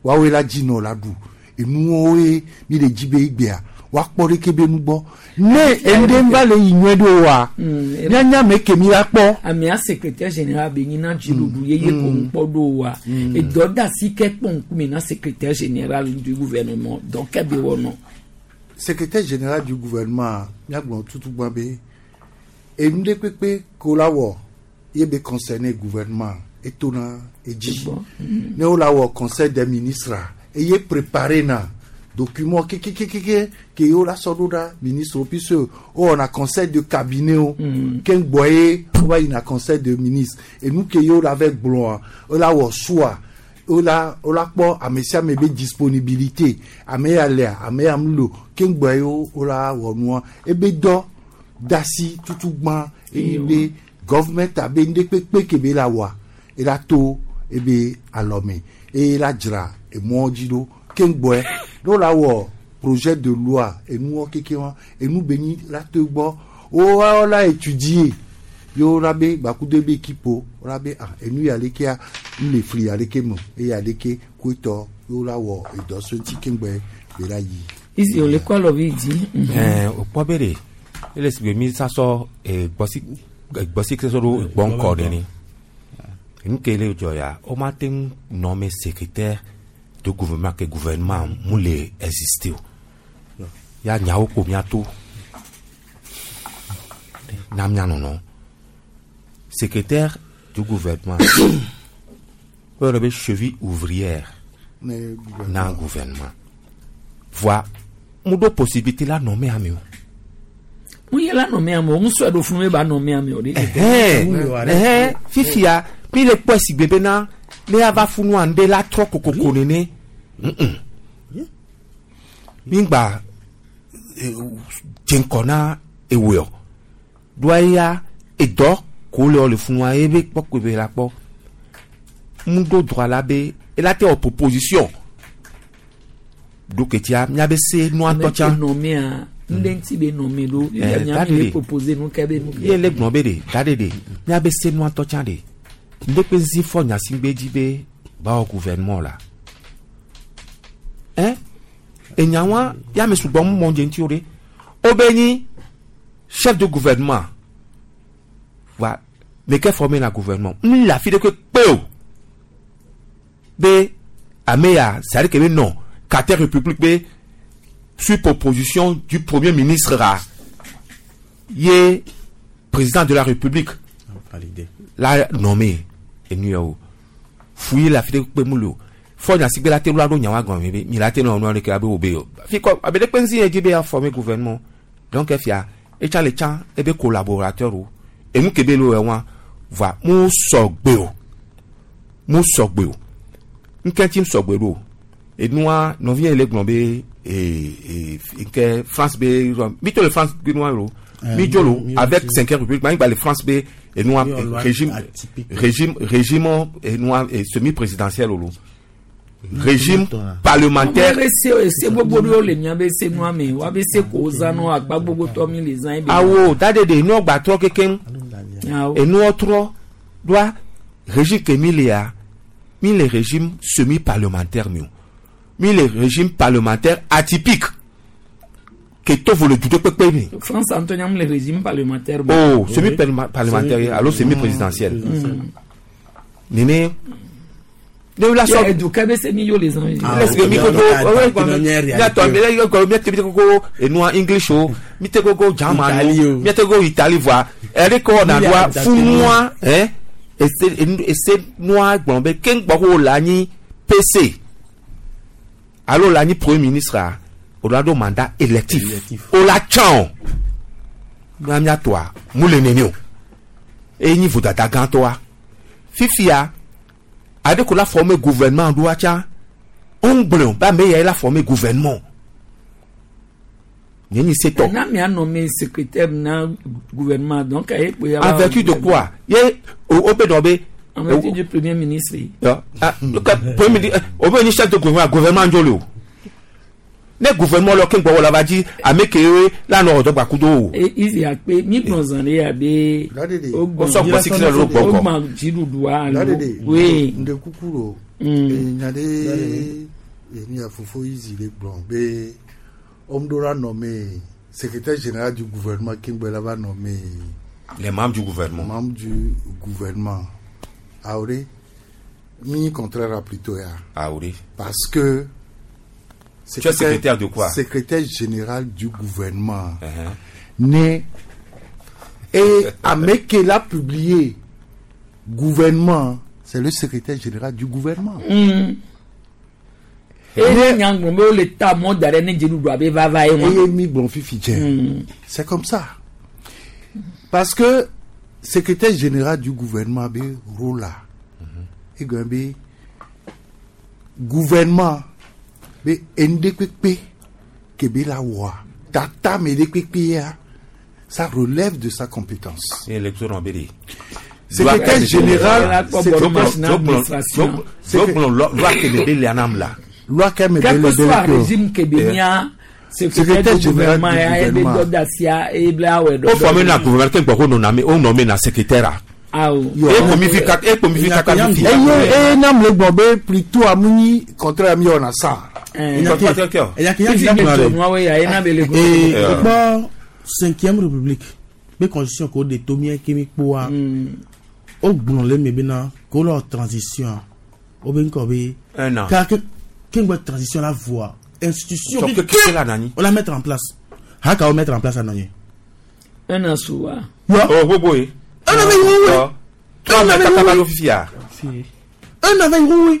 woawoe la dzi nɔ la ɖu enuwo ye mi le dzi be egbea woakpɔ ɖeke be nu gbɔ ne enu ɖe va le yi nyuie ɖo wa míanya ame ke mi la kpɔ. Amea secrétaire général be nyina dziɖuɖu ye ye ko ŋkpɔ ɖo wa edɔ da si ke kpɔ ŋkume na secrétaire général du gouvernement donc ke be wɔnɔ. Secrétaire général du gouvernement míagblɔ tutu gbã be enu ɖe kpekpe ko la wɔ ye be concerné gouvernement etona edzi ne wo la wɔ conseil des ministres eye préparé na document kekekeke ke ye wo la sɔ ɖo ɖa ministre puisque wo wɔna conseil de cabinet o ke ŋgbɔ ye wo va yina conseil de ministre enu ke ye wo la vɛ gblɔa wo la wɔ choix wo la wo la kpɔ ame sia ame be disponibilité ame ya lea ame ya mu lo ke ŋgbɔ ye wo la wɔ nua ebe dɔ dasi tutu gbã eye be gɔvumɛnt abe nu ɖe kpekpe ke be la wɔa ela to ebe alɔme eye la dzra emɔ dzi ɖo keŋgbɔe ɖo la wɔ projet de loi enuwɔ keke wa enu be nyi la to gbɔ wo la étudier yo la be gbakudo ebe équipe wo la be ah enu ya lekea n le fli ya leke me eye ya leke koetɔ yo la wɔ edɔ so ŋuti keŋgbɔe be la yi. Izi ole kɔ alɔvi dzi. Ɛɛ o kpɔ be de ele si be mi sasɔ gbɔsi gbɔsi sɔ ɖo gbɔnkɔ ɖe ni nu ke le dzɔ ya o ma te ŋu nɔme secrétaire de gouvernement ke gouvernement mu le exister o ya nyawo ko miato na mia nɔnɔ secrétaire du gouvernement o yɔrɔ be cheville ouvrière Ne gouvernement. na gouvernement voa mu ɖo possibilité la nɔme ame o. Mu ye la nɔme ame o, ŋusɔ ɖo funu be ba nɔme ame o de. Ɛhɛn, ɛhɛn, fifia mi le kpɔ si gbe bena ne ava funua ŋɖe la trɔ kokoko nene mm mi gba dze ŋkɔ na ewoe o ɖoa eya edɔ ko le wɔ le funua ebe kpɔ ko ebe la kpɔ mu ɖo droit la be ela te wɔ proposition ɖo ketia miabe se nua Ame tɔ ke tsã nɔmea, ŋɖe ŋuti be nɔme ɖo. Eh, Mia da mi le ɖe. proposer nu ke be nu ke. ye le gblɔ be ɖe da ɖe ɖe miabe se nua tɔ tsã ɖe ŋɖe kpe zi fɔ nyasigbe dzi be bawɔ gouvernement la ɛn enyawa ya me sugbɔ mu mɔ dze ŋuti o ɖe o be nyi chef de gouvernement wa meke formé na gouvernement n le afi ɖe ke kpe o be ame ya c'est à dire que be non quatrième république be sur proposition du premier ministre ra ye président de la république Validé. la nommé enu yɛ o fuyi le afi ɖe kpe mu le o fɔ nyasigbe la te lo aɖo nyawa gɔme be mi la te nɔ nua ɖeke abe wo be o fi kɔ abe ɖe kpe ŋuti yɛ dzi be ya former gouvernement donc efia etsa le tsã ebe collaborateur o enu ke be le wɔ wa va mu sɔgbe o mu sɔgbe o ŋkɛ tsi sɔgbe ɖo enua nɔvi yɛ le gblɔ be ee ee ŋkɛ France be mi to le France be nua lo mi dzo lo avec cinquième république ma gba le France be enua Oui, on loi régime atypique. régime régime enua semi présidentiel lo régime parlementaire Ame se ese gbogbo ɖewo le miabe se nua me, woabe se ko wozã nɔ akpa gbogbo tɔ mi le zã ebe. awo da de de enua gba trɔ kekeŋ Awo. enua trɔ doa régime ke mi lea mi le régime semi parlementaire mi o mi le régime parlementaire atypique ke to vo le du ɖe kpekpe mi. France ŋutɔ nyam le régime parlementaire. me. Oh, semi parlementaire alo semi présidentiel. Nene ne la Ya sɔ eduka be se mi yo le zã. lẹsibẹ mi koko miatɔ miatɔ mi koko enua english o mi te koko german o mi te koko italy voa ɛri kɔ na doa funua ɛ ese ese nua gblɔ be keŋgbɔ ko la nyi pc alo la nyi premier ministre a o la do mandat électif o la tsã o mia miatɔa mu le nene o eye nyi vodada gãtɔa fifia ade ko la former gouvernement ɖoa tsã ŋgblẽ ba me ya la former gouvernement nye nyi setɔ Na mia nommé secrétaire na gouvernement donc aye kpe ya. en vertu de quoi ye o be dɔ be En vertu du premier ministre. Ya, ah, le premier ministre o be nyi chef de gouvernement gouvernement ŋdzo le o ne gouvernement lɔ ke ŋgbɔ wɔ la va dzi ame ke la nɔ ɔdɔ gbakudo o E izi akpe mi gblɔ zã ɖe ya be. O O sɔ gbɔ si kile lo gbɔ kɔ. O gbã dziɖuɖua alo. Dadede, Oui. nde kuku lo nya ɖe enu ya fofo izi le gblɔ be homme ɖo la nommé secrétaire général du gouvernement keŋgbɛ la va nommé les membres du gouvernement membre du gouvernement awo ɖe mi contraire a plutôt ya awo de parce que Tu es secrétaire de quoi secrétaire général du gouvernement Uh-huh. né et ame ke l'a publié gouvernement c'est le secrétaire général du gouvernement. Eye nyagblɔ be wole ta mɔ da ɖe ne dziɖuɖua be vava ye wa. Eye mi gblɔ fifi dze. C'est comme ça. Parce que secrétaire général du gouvernement be rôle la. Egɔn be gouvernement be enu ɖe kpekpe ke be la wɔa tata me ɖe kpekpe ya ça relève de sa compétence. élection nɔ be de Secrétaire général, Zogblɔ loi keme be lia nam la. Loi keme be Quel le que soit be régime ke be nya secrétaire Secrétaire du général gouvernement du ya ebe gouvernement. dɔdasia ebla awɛ O forme na gouvernement ke gbɔ ko nɔ na me o nɔ me na secrétaire a. Awo. E kpomi fi kaka e kpomi fi kaka fi. Eye eye nam le gbɔ be plutôt amunyi contraire mi wɔna sa. Ekpɔ cinquième république be constitution ko de to mía ke mi kpoa o gblɔ le eme bena ko lɔ transition o be ŋkɔ be Un an. ka ke ke ŋgbɛ transition la voa institution Sɔ ke ke ke la nani. o la mettre en place haka o mettre en place anɔ ye. Un an su wa. O gbogbo ye. Un an bɛ yi wo Trois mɛ kaka ba lo fifia. Un an bɛ yi wo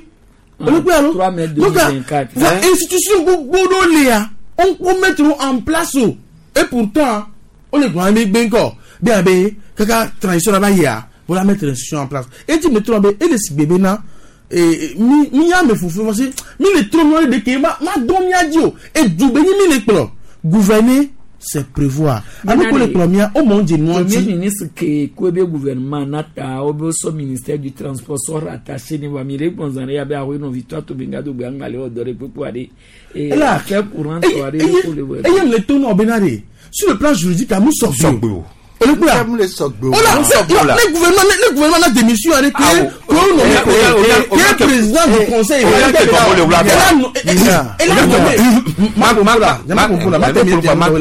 olùkọ́ yà ló 3 mai donc 2024. va institution gbogbo ɖo lia on ko mettre en place o et pourtant o le gbɔn mi gbé ŋkɔ bí a bɛ kaka transition la ba yia o la mettre institution en place et ti mettre be e le si gbebe na ee mi mi yà mɛ fufu parce que mi le tro miɔ de ke ma ma dɔn mia dzi o et dugbe nyi mi le kplɔ gouverner c'est prévoir ame ko le kplɔ mia o mɔ n dze nua Premier dzi. ministre ke ko ebe gouvernement nata o be so ministère du transport so rattaché ni wa mi le gbɔnzan ya be awo nɔ victoire to benga do gbanga le ɔdɔ de kpekpe wa de. Et Ela, affaire courante wa de ko le wɛ. eye le to nɔ bena de sur le plan juridique amu sɔgbe o olùkọ́ Mu le sɔgbe o. o la ne gouvernement ne gouvernement na démission ale ke ko nommé ke président du conseil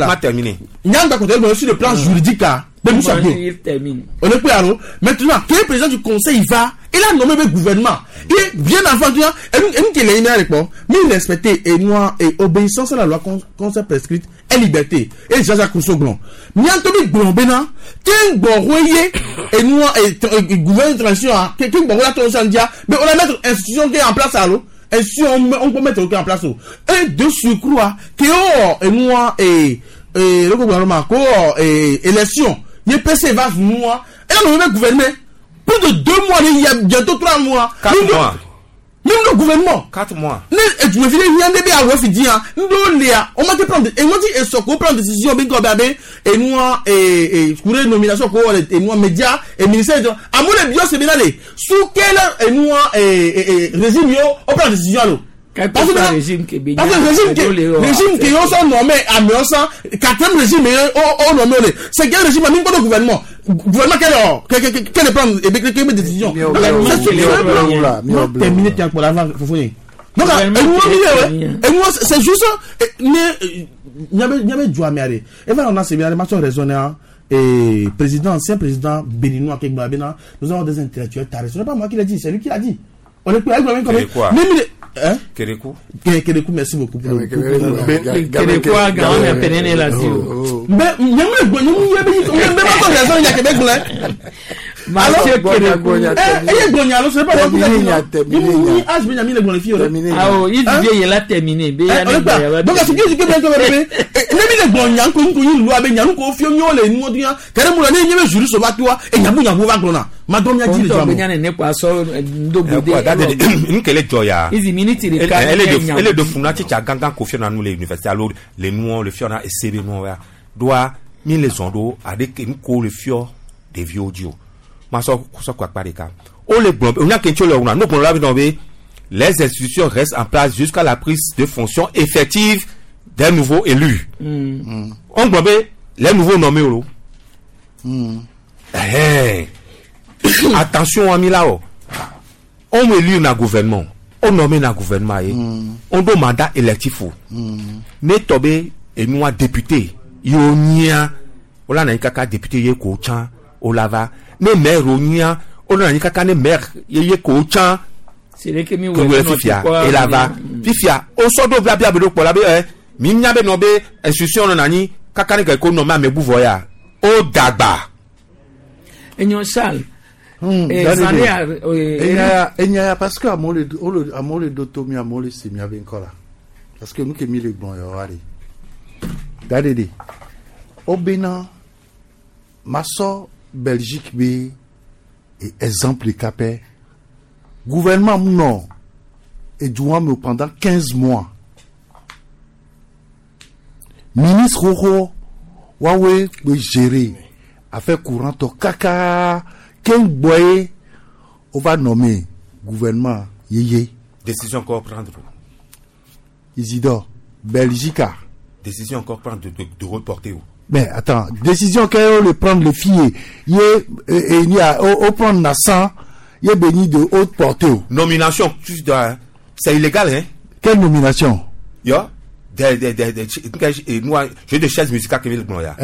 Ma terminé. nyanga kɔtɔ ebɔ sur le plan juridique ah bɛ mu sɔgbe Il termine. olùkọ́ yà lọ maintenant ke président du conseil va il a nommé le gouvernement et bien avant tu vois enu kele yin ale kpɔ mi respecter et noir et obéissance à la loi conseil prescrite et liberté et Jean-Jacques Rousseau gblɔ miatɔ bi gblɔ bena ke ŋgbɔho ye enua et gouvernement de transition ah ke ŋgbɔho la transition dia mais on la mettre institution qui est en place alo institution on peut mettre en place o et de surcroît ke wɔ enua et et le gouvernement ko wɔ et élection ye PC va nua et là le gouvernement plus de 2 mois il y a bientôt 3 mois. 4 mois. Même le gouvernement. 4 mois. Ne edumefile hiã ne be awɔ fi di hã ŋdɔ lia o ma te prendre e ma ti esɔ ko prendre décision bi ŋkɔ be abe enua ee kure nomination ko wɔ enua média e ministère jɔ amewo le biɔ se bena le sous quel enua ee régime yo o prendre décision alo. Quel que soit régime ke be Parce que régime ke régime ke yo sɔ nommé amewo san quatrième régime ye o o nommé o le cinquième régime ami ŋkɔ do gouvernement gouvernement quel ɔ quel quel prendre ebe quel quel décision. C'est sur le plan terminé tiens pour l'avant fofo ye. Donc enuwo mi ye enuwo c'est juste ne nyabe nyabe ju ame are eva nana sebi are ma sɔ raisonner et président ancien président béninois ke gba bena nous avons des intellectuels tarés ce n'est pas moi qui l'a dit, c'est lui qui l'a dit. On est quoi Kérékou. Hein? Kérékou. Kérékou, merci beaucoup. Kérékou, Gaon est pénéné là-dessus. Mais, Mathieu Kérékou. Eh, eh, ce n'est pas moi qui l'a dit. Ah, oh, il dit il a terminé. Donc, ce qui est bien que ne mi le gbɔn nya nko nko yi lu abe nya nko fio miɔ le nu ɔdi ya kɛrɛ mu la ne nye be juri soba tiwa e nyabu nyabu va gblɔna ma dɔn mia dzi le Kɔntɔ dzɔ bɛ me. nya ne kɔ asɔ ndogode. Nkele dzɔ ya. Izi miniti de ka Ele de funa tsitsa gãgã ko fiɔna nu le université alo le nuɔ le fiɔna ese be nuɔ ya. Doa mi le zɔn ɖo aɖe nuko le fiɔ ɖeviwo dzi o. Ma sɔ sɔ kɔ akpa ɖeka. O le gblɔ be onya ke ŋuti o le wɔna no gblɔ la be nɔ be les institutions restent en place jusqu'à la prise de fonction effective des nouveaux élus. On gblɔ be les nouveaux nommés o. Ɛhɛn. Attention ami la o. On élu na gouvernement. On nommé na gouvernement ye. On do mandat électif o. Ne tɔ be enua député ye o nyia o la na anyi kaka député ye ko tsã o la va. Ne maire o nyia o la na anyi kaka ne maire ye ye ko tsã C'est que mi ke wòle fifia e la va. Fifia o sɔ do blabla be ɖo kpɔ la be ɛ mi nya be nɔ be institution nɔ anyi kaka ne ke ko nɔ ame bu vɔ ya o dagba. Enyo Charles. Enya ya parce que amewo le wole amewo le ɖo to mi amewo le se miabe ŋkɔ la parce que nu ke mi le gblɔ yewoa ɖe da ɖe ɖe wobena masɔ Belgique be exemple ɖeka pɛ gouvernement mu nɔ edua me pendant 15 mois ministre xoxo woawoe kpe gérer affaire courante kaka. Keŋgbɔ ye wova nommé gouvernement yeye. Décision encore prendre. Isidore, Belgique. Décision encore prendre de reporter. Mais attends, décision qu'elle le prendre le filles, y est, au prendre naissant, y est béni de haute portée. Nomination, tu dois, c'est illégal, hein? Quelle nomination? Yo, j'ai des chaises musicales qui viennent là.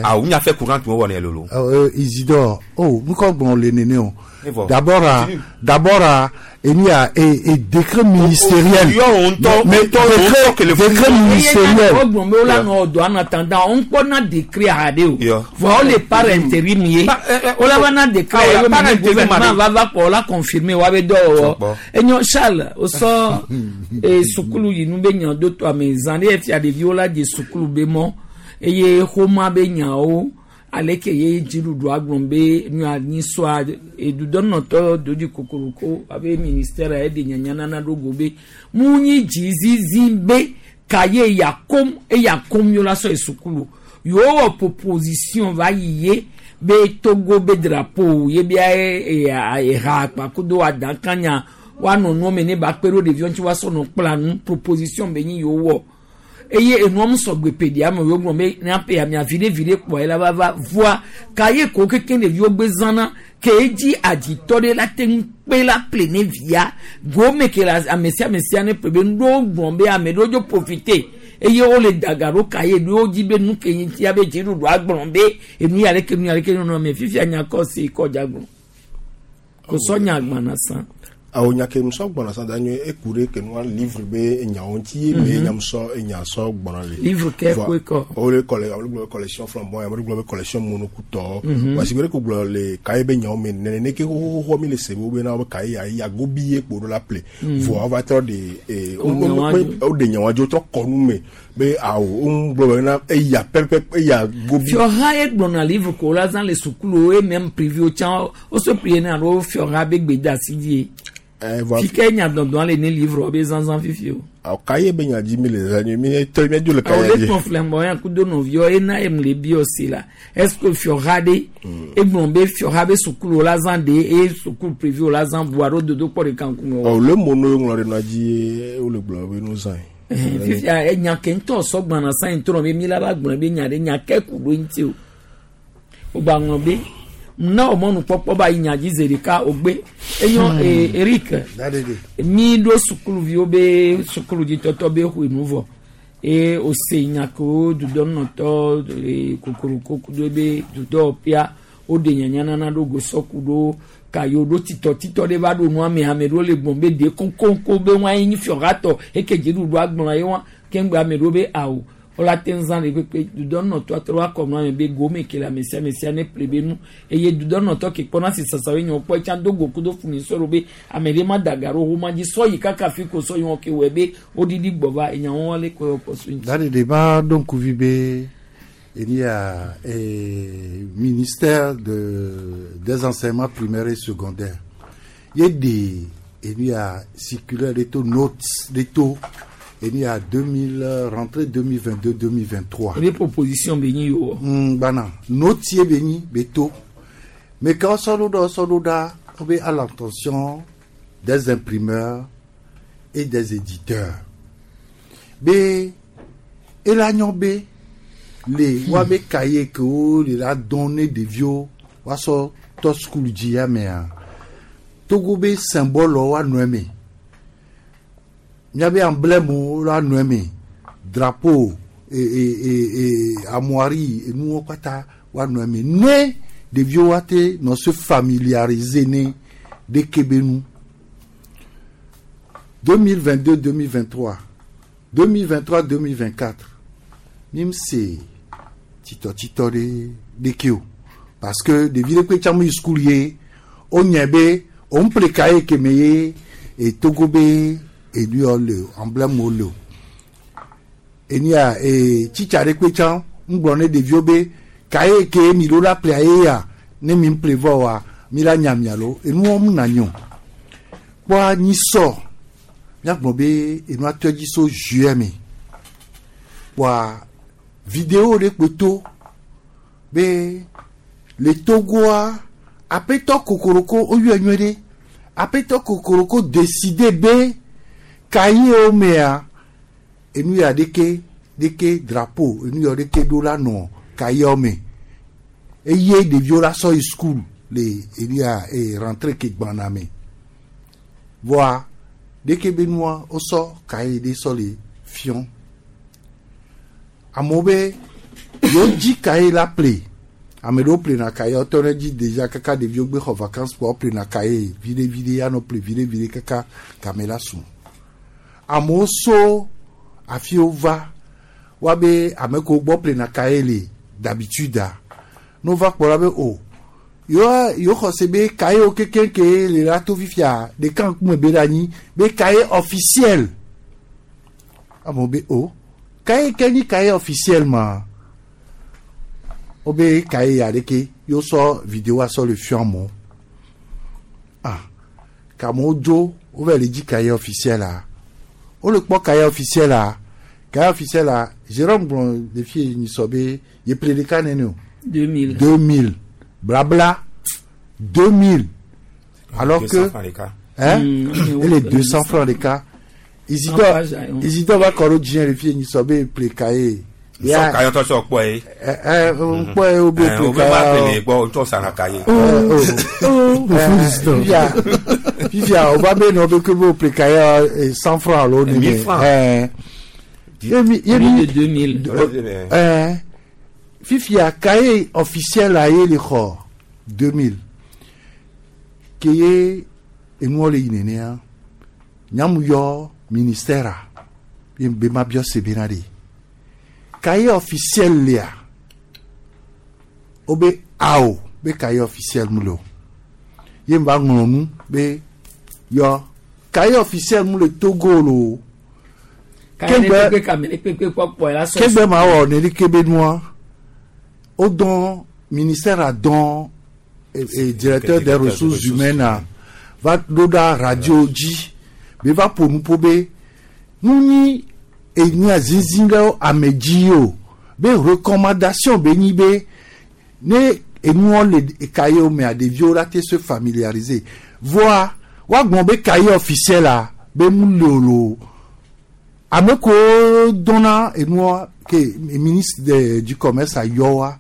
Ah, on a fait courant, tu vois, on est lolo. Isidore, oh, nous comprenons les nénés. D'abord, d'abord, il y a un décret ministériel. Mais décret ministériel. En attendant, on connaît décret à Adéo. Voilà les par intérim. On a un décret. Le gouvernement va pour la confirmer. Et nous, Charles, au sort, et Soukoulou, nous baignons deux, trois, mais années, il y a des violas de Soukoulou Bémon, et il y a Homa Benyao. Aleke ye dziɖuɖu agblɔ be nua nyisɔa edudɔnɔtɔ dodi kokoroko abe ministère eɖe nyanyanana ɖo go be mu nyi dzizizi be ka ye yakom eyakom yɔ la sɔ esukulu yewo wɔ proposition va yi ye be Togo be drapeau ye bia eha akpakudo adakanya woanɔ nuwo me ne ba kpe ɖo ɖeviwo ŋuti woasɔ nɔ kpla nu proposition be nyi yewo wɔ. Eye enuam sɔgbe pedia me wo gblɔ be míaƒe amia viɖe viɖe kpɔ ye la va va voa ka ye ko keke ɖeviwo gbe zãna ke edzi adzitɔ ɖe la te ŋu kpe la ple ne via gome ke la ame sia ame sia ne ple be nuɖewo gblɔ be ame ɖewo dzo profite eye wole daga ɖo ka ye ɖewo dzi be nu ke ŋuti abe dziɖuɖu agblɔ be enu ya leke nu ya leke nɔnɔ me fifia nya kɔ si kɔ dza gblɔ ko sɔ nya agbana sã. Awo nya ke musɔ gbɔna sa da nye eku ɖe ke nua livre be enyawo ŋuti ye me nya musɔ enya sɔ gbɔna le. Livre ke koe kɔ. O le kɔle ame gblɔ be collection flamboyant ame gblɔ be collection monokutɔ. Wasi gbe ko gblɔ le kaye be nyawo me nene ne ke xoxoxo mi le se bo be na be kaye ya ya gobi ye kpo ɖo la ple. Vɔ va trɔ de o de nyawo dzo trɔ kɔnu me be awo o gblɔ be na eya pɛpɛ eya gobi. Fiɔha ye gblɔna livre ko la zã le sukulu ye même privé o tsã o se plié na alo fiɔha be gbedasi die. Fike nya dɔdɔn le ne livre be zanzan fifi o. Awo kaye be nya dzi mi le zan mi tɔ mi dzo le kaye dzi. Awo le tɔn flamboyant kudo nɔviwo ena em le bi aussi la. Est-ce que fiɔha de egblɔ be fiɔha be sukulu la zan de eye sukulu privé o la zan bu alo dodo kpɔ ɖeka ŋkume o. Awo le mono ŋlɔ ɖe nua dzi wo le gblɔ be no zan ye. Fifia enya ke ŋutɔ sɔgbana san yi trɔ be mi la va gblɔ be nya ɖe nya ke ku ɖo ŋuti o. O gba ŋlɔ be. Na o mɔnu kpɔkpɔ ba yi nya dzi zi ɖeka o gbe enyo Eric mi ɖo sukuluviwo be sukuludzitɔtɔ be xɔe nu vɔ eye o se nya kewo dudɔnɔtɔ kokoroko kudo be dudɔwɔƒea o ɖe nyanyanana ɖo gosɔku ɖo ka yewo ɖo titɔtitɔ ɖe va ɖo nua me ame ɖewo le gbɔn be de konkonko be wɔn ayi fiɔhatɔ eke dziɖuɖu agblɔ ye wɔn keŋgbe ame ɖewo be awo. Ola te nzã le kpekpe dudɔnɔtɔ atrɔ akɔ nua me be gome ke le ame sia ame sia ne ple be nu eye dudɔnɔtɔ ke kpɔna si sasawo nye wokpɔ etsa do go kudo fumi sɔrɔ be ame ɖe ma da ga ɖo wo ma dzi sɔ yi kaka fi ko sɔ yi wɔn ke wɔe be woɖiɖi gbɔ va enyawo wɔn le kɔ kɔ so ŋuti. Dadi de ba ɖo ŋkuvi be il y a ministère des enseignements primaires et secondaires. Il y a des il y a circulaire des taux notes des taux. Il y a 2000 rentrée 2022-2023. Les propositions béni yo. Bana, notier béni beto. Mais quand ça nous donne on met à l'attention des imprimeurs et des éditeurs. B et la B les wabe cahier que les la donné des vieux waso to school dia mais Togo be symbole wa noemé. Miabe emblème la noemé drapeau et armoirie et nous kata wa noemé né des vieux wate non se familiariser né de Kébénou 2022 2023 2023 2024 mim c'est tito tito de kyo parce que des villes que tchamu schoolie on nyebe on plekaye kemeye et Togo be et lui le emblème le et ni a et chichare kwecha ngbone de vieux be kaye ke mi lo la playe ya ne mi prévoir mi la nyamia lo et nous on na nyon kwa ni so ya gbo be et nous atodi so juillet mi kwa vidéo de kweto be le Togoa Aƒetɔ kokoroko woyɔe nyuie ɖe. Aƒetɔ kokoroko décidé be kayewo mea enu ya ɖeke ɖeke drapeau enu ya ɖeke ɖo la nɔ kayewo me. Eye ɖeviwo la sɔ yi school le enu ya e rentrée ke gbana me. Voa ɖeke be nua wosɔ kaye ɖe sɔ le fiɔ. Amewo be yewo dzi kaye la ple. Ame ɖewo ƒlena kaye wotɔ ɖe dzi déjà kaka ɖeviwo gbe xɔ vacances kpoa woƒlena kaye viɖe viɖe anɔ ƒle viɖe viɖe kaka game la su. Amewo so afiwo va woabe ame kewo gbɔ ƒlena kaye le d'habitude a ne wova kpɔ la be o yewoa yewo xɔ se be kayewo kekeŋ ke le la to fifia ɖeka ŋkume be ɖe anyi be kaye officiel. Amewo be o kaye ke nyi kaye officiel ma wobe kaye ya ɖeke yewo sɔ vidéo sɔ le fiɔ amewo. Ah kamewo dzo wova le dzi kaye officiel a wole kpɔ kaye officiel a kaye officiel a Jérôme gblɔ le fi nyi sɔ be ye ƒle ɖeka nene o. 2000. 2000 blabla 2000 alors 200 que francs l'écart. hein et les 200 francs l'écart Isidore En page, hein. Isidore va kɔ ɖo dzi le fi nyi sɔ be ƒle kaye. Sɔ kaye tɔ sɔ kpɔ ye. Ɛ ɛ ŋkpɔ ye wo be Ɛ, ƒle wo be ma kaye. ƒle gbɔ ŋutɔ sana kaye. Fifia fifia o va be nɔ be ke be o ƒle kaye 100 francs alo nene. 1000 francs. Ɛ yemi Plus de 2000. Ɛ fifia kaye officiel a ye le xɔ 2000 ke ye enuwo le yi nenea nyamu yɔ ministère a ye be ma biɔ se bena de kaye officiel lea wo be awo be kaye officiel mu le o ye va ŋlɔ nu be yɔ kaye officiel mu le Togo lo o Kaye ɖe kpekpe kame ɖe kpekpe kpɔkpɔ la sɔ. kegbe ma wɔ neli kebe nua o dɔn ministère a dɔn directeur des ressources humaines a va ɖo ɖa radio dzi be va ƒo nu ƒo be nu nyi enya zinzin ɖe ame dzi o be recommandation be nyi be ne enuwo le kayewo mea ɖeviwo la te se familiariser voa woagblɔ be kaye officiel a be mu le o lo ame kewo dɔnna enua ke ministre de, du commerce ayɔ wa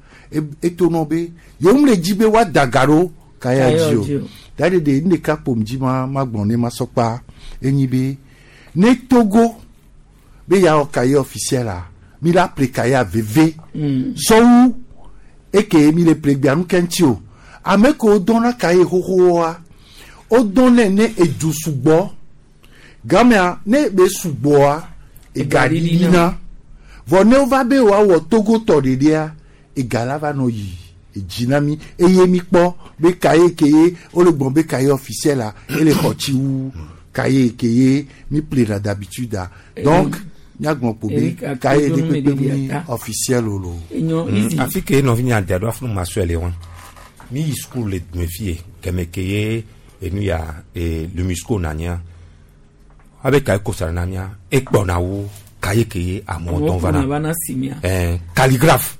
etonɔ be yewo le dzi be woada ga ɖo kaya Kaya dzi dzi o o. da ɖe ɖe nu ɖeka kpom dzi ma ma gblɔ ne ma sɔkpa enyi be ne Togo be yeawɔ kaye officiel a mi la ƒle kaya veve sɔwu eke mi le ƒle gbea nu ke ŋuti o ame kewo dɔnna kaye xoxoa wodɔnɛ ne edu sugbɔ gamea ne be sugbɔa ega ɖiɖina vɔ ne wova be woawɔ Togo tɔ ɖeɖea ega la va nɔ yi edzi na mi eye mi kpɔ be kaye ke ye wole gblɔ be kaye officiel a ele xɔ tsi wu kaye ke ye mi ƒlena d'habitude a donc míagblɔ kpo be Eric kaye Akodonu ɖe kpekpe me mu ɖeɖi ata. officiel o lo. Enyo easy. Afi ke nɔvi nya da ɖo afi ma sɔe le wa. Mi yi school le dume fie kɛmɛ ke ye enu ya e lumisco nanya. Abe kaye kosa na mia ekpɔna wu kaye ke ye amewo Amewo dɔn kplɔna va va na. na simia. Ɛɛ calligraphe.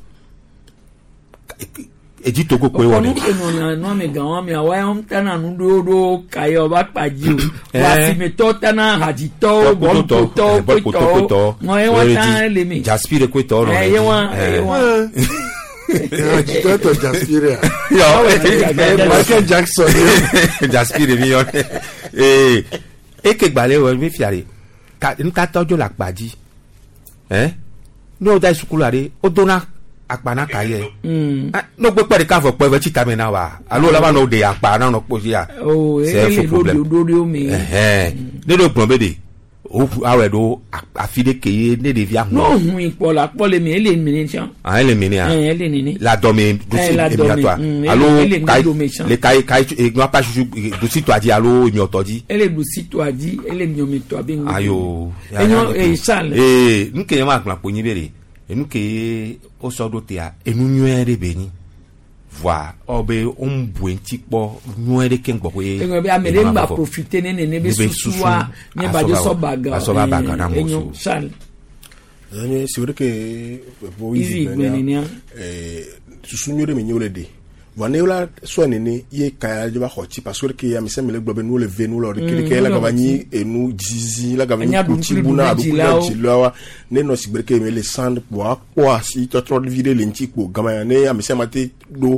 Edzi Togo koe wɔ Ɔkɔ nu ne. ke nɔna nua me gã mea wa yɔ tana nu ɖewo ɖo kaye ba kpa dzi o. Eh. Wa asimetɔ tana hadzitɔwo, bɔlukotɔwo, kpetɔwo. Ŋɔ ye wa tan le me. Jaspire koetɔwo nɔ Eh, le ye dzi. wa ye Eh. wa. Hadzitɔ tɔ Jaspire a. Yɔ. Michael Jackson. Jaspire mi yɔ. Ee eke gbalẽ wɔ mi fia de ka nutatɔ dzo le akpa dzi. Ɛn ne wo da yi sukulu ɖe wo dona akpa na ka yɛ. Ne wo gbekpɛ ɖeka vɔ kpɔ eve tsi tame na wa alo la va nɔ ɖe akpa na nɔ kpɔ dzi ya. O C'est un ele faux ɖo problème. ɖo ɖo me. Ɛhɛn ne ɖo gblɔ be de o awɔe ɖo afi ɖe ke ye ne ɖevia N'o ŋlɔ. hun ikpɔ la kpɔ le me ele mine tsã. Ah, ele mine a. Ɛn ele nene. La dɔme Eh, la dɔme, emiatɔa alo ele kayi ŋgɔdome tsã. le kayi kayi egnua pa susu dusitɔa dzi alo emiɔtɔ dzi. Ele ɖusitɔa dzi ele miɔmetɔa be ŋgɔ. Ayo. Enyo ee Charles. Ee nu ke ye ma gblɔ kponyi be de enu ke ye wosɔ ɖo tea enu nyuie ɖe be nyi voa ɔ be wo ŋu bu eŋuti kpɔ nyuie ɖe keŋ gbɔƒe. Eŋɔ be ame ɖe ŋgba profite ne nene be susua nye ba dzo sɔ baga. asɔ ba baga na amewo Enyo so. Charles. Enye si wòle ke bo Easy easy gblẽ nenea. Susu nyuie ɖe me nye wole ɖe. Vɔa ne wola sɔe nene ye kaya dze va xɔ tsi parce que ke ame sia ame le gblɔ be nuwo le ve nu le ɖeke ɖeke la gava nyi enu zizi la gava nyi Enya kutsi ɖukli bu na ɖu aɖukli na dzilawo. dzilawoa ne nɔ sigbe ɖeke me le san kpoa kpɔ asi tɔtrɔ vi ɖe le ŋuti kpo gama ya ne ame sia ame te ɖo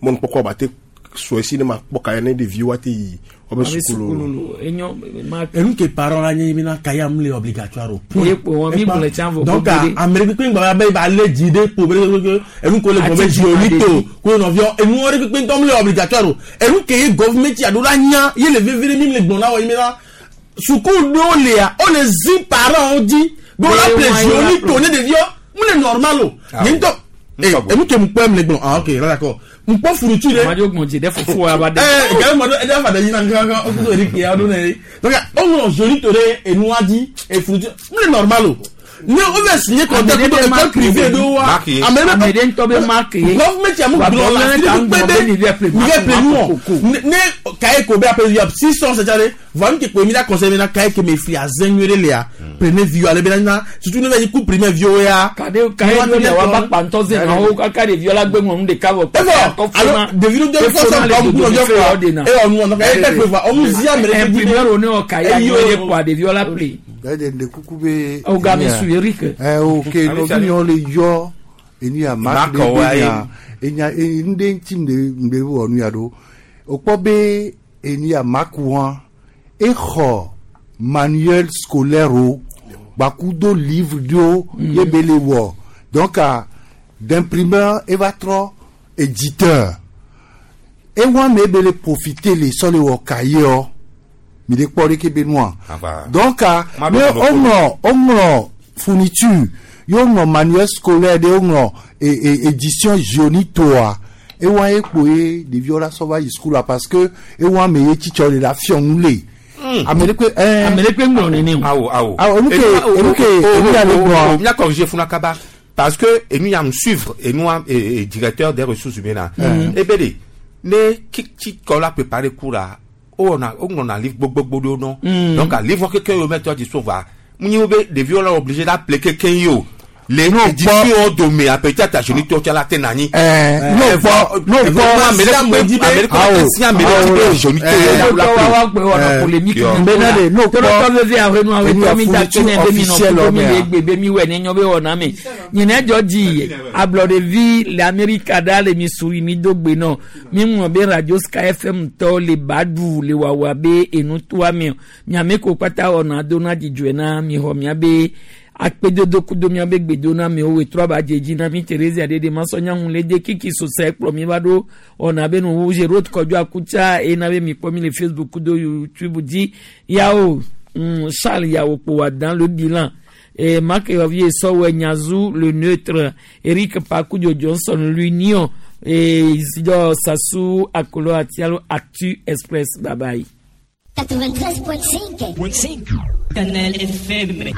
mɔnukpɔkpɔ ba te sɔe si ne ma kpɔ kaya ne ɖeviwo ate yi woabe Abe sukulu sukulu enyo ma enu ke parent la nye bena kaya mu le obligatoire o. Ye kpo wɔn mi gblɔ tsã vɔ donc gbogbo ɖe. ame ɖe kpekpe ŋgbà be ba lé dzi ɖe kpo be ɖe enu ko le gblɔ be Ati dzi oni dzi to ko nɔviɔ enu ɖe kpekpe ŋutɔ mu le obligatoire o enu ke ye gɔvumɛnti alo la nya ye le veve ɖe mi le gblɔ na wɔ yi bena suku ɖewo lea wo le zi parent wo dzi be wo la Be ple wɔn dzi ye oni la to ne ɖeviɔ mu le normal o nye ŋutɔ ee enu ke mu kpɔ mu le gblɔ ah ok là d'accord mu kpɔ furutu ɖe. Madzo gbɔn dzi ɖe fofo wa ba ɖe. Eh, gɛlɛ mɔ ɖo ɛdí afa ɖe yina kankan o kudo eri kia ɖo ne donc o ŋlɔ joli to ɖe enua dzi efurutu mu le normal o ne o bɛ signé contrat Ame ɖe kudo be école marque privée ye. ɖo wa Marque ye. ame Ame ɖe ŋutɔ be marque ye. gɔvumɛnti amu Wa gblɔ bɔ la lɛ fi ta ɖe ŋgbɔ kpe be be mi vɛ ple mi vɛ marque ple marque nuwɔ koko. ne ne kaye ko be ape ya 600 c'est à dire voa nu ke kpe mi la conseil mi na kaye ke me fli azɛ nyuie ɖe lea prenez viwo ale be na surtout ne bɛ yi ku primaire viwo ya. Kade kaye ɖo le wa ba kpa ŋutɔ ze na wo kaka ɖeviwo la gbe ŋlɔ nu ɖeka vɔ. Efɔ alo ɖevi ɖo dɔ fɔ sɔ gɔm kú nɔviɔ fɔ eye ɔnu ɔnu eye tɛ kpe fɔ ɔnu zi ame ɖe Imprimeur wo ne wɔ kaye nyuie ɖe kpoa ɖeviwo la ple. Ɛdɛ ne kuku be. O game su Eric. Ɛ o ke nɔvi yɔ le yɔ enu ya mark Mark ɖe wa be ye. nya enya enu ɖe ŋuti ŋde ŋde wɔ nu ya ɖo o kpɔ be enu ya mark wa exɔ manuel scolaire o gbakudo livre ɖewo ye be le wɔ donc ah, d'imprimeur eva trɔ éditeur ewa me be le profiter le sɔ le wɔ cahier ɔ mi de kpɔ ɖeke be nua Ava. donc ah, Ma ne ɖo ɖoɖo. woŋlɔ woŋlɔ fourniture ye woŋlɔ manuel scolaire ɖe woŋlɔ e e édition jonitoa ewa ye kpo ye ɖeviwo la sɔ va yi sukula parce que ewa me ye tsitsɔ le la fiɔ nu le ame ɖe kpe ɛɛ Ame ɖe kpe ŋlɔ nene o. Awo awo. Awo, enu ke- enu ke- enu ya le gblɔa. Mia corriger funa kaba parce que enu ya me suivre enu a e, e, directeur des ressources humaines la. Ebe de ne kiki kɔ la préparer cours la o wɔna o ŋlɔna livre gbogbogbò ɖewo nɔ. Donc a livre keke yi wo mɛtɔ di so va mu nyi wo be ɖeviwo la obligé d'appeler keke yi o. Le édition dome a peut-être agenitɔ tsa la te na anyi. Ɛɛ n'o kpɔ n'o kpɔ Awo Tɔwɔ wa gbe wɔna polémique Yo. Bena de n'o kpɔ tɔlɔtɔ veve ahenu awo enu ya tɔ mi da fourniture kene be mi nɔ officielle kudo mi mea. le egbe be mi wɛ ne nyɔ be wɔna me nyinɛ dzɔ dzi ablɔɖevi le amerika ɖa le mi suri mi do gbe nɔ mi ŋlɔ be radio sky fm tɔ le ba ɖu le wawa be enu toa me miame ko kpata wɔna do na dzidzɔe na mi xɔ mia be akpedodo kudo miabe gbedo na miwo wetrɔ ba dze dzi na mi Therese aɖeɖe masɔnyaŋu le de kiki sosɛ kplɔ mi va ɖo ɔna be nu Gerard Kɔdzo Akutsa eye na be mi kpɔ mi le Facebook kudo YouTube dzi yawo Charles yawo kpo wa dans le bilan et Marc Hervier Sɔwɛ Nyazu le neutre Eric Pakudio Johnson l'union et Isidore Sassou Akolo Atialo Actu Express bye bye. 93.5. Canal FM.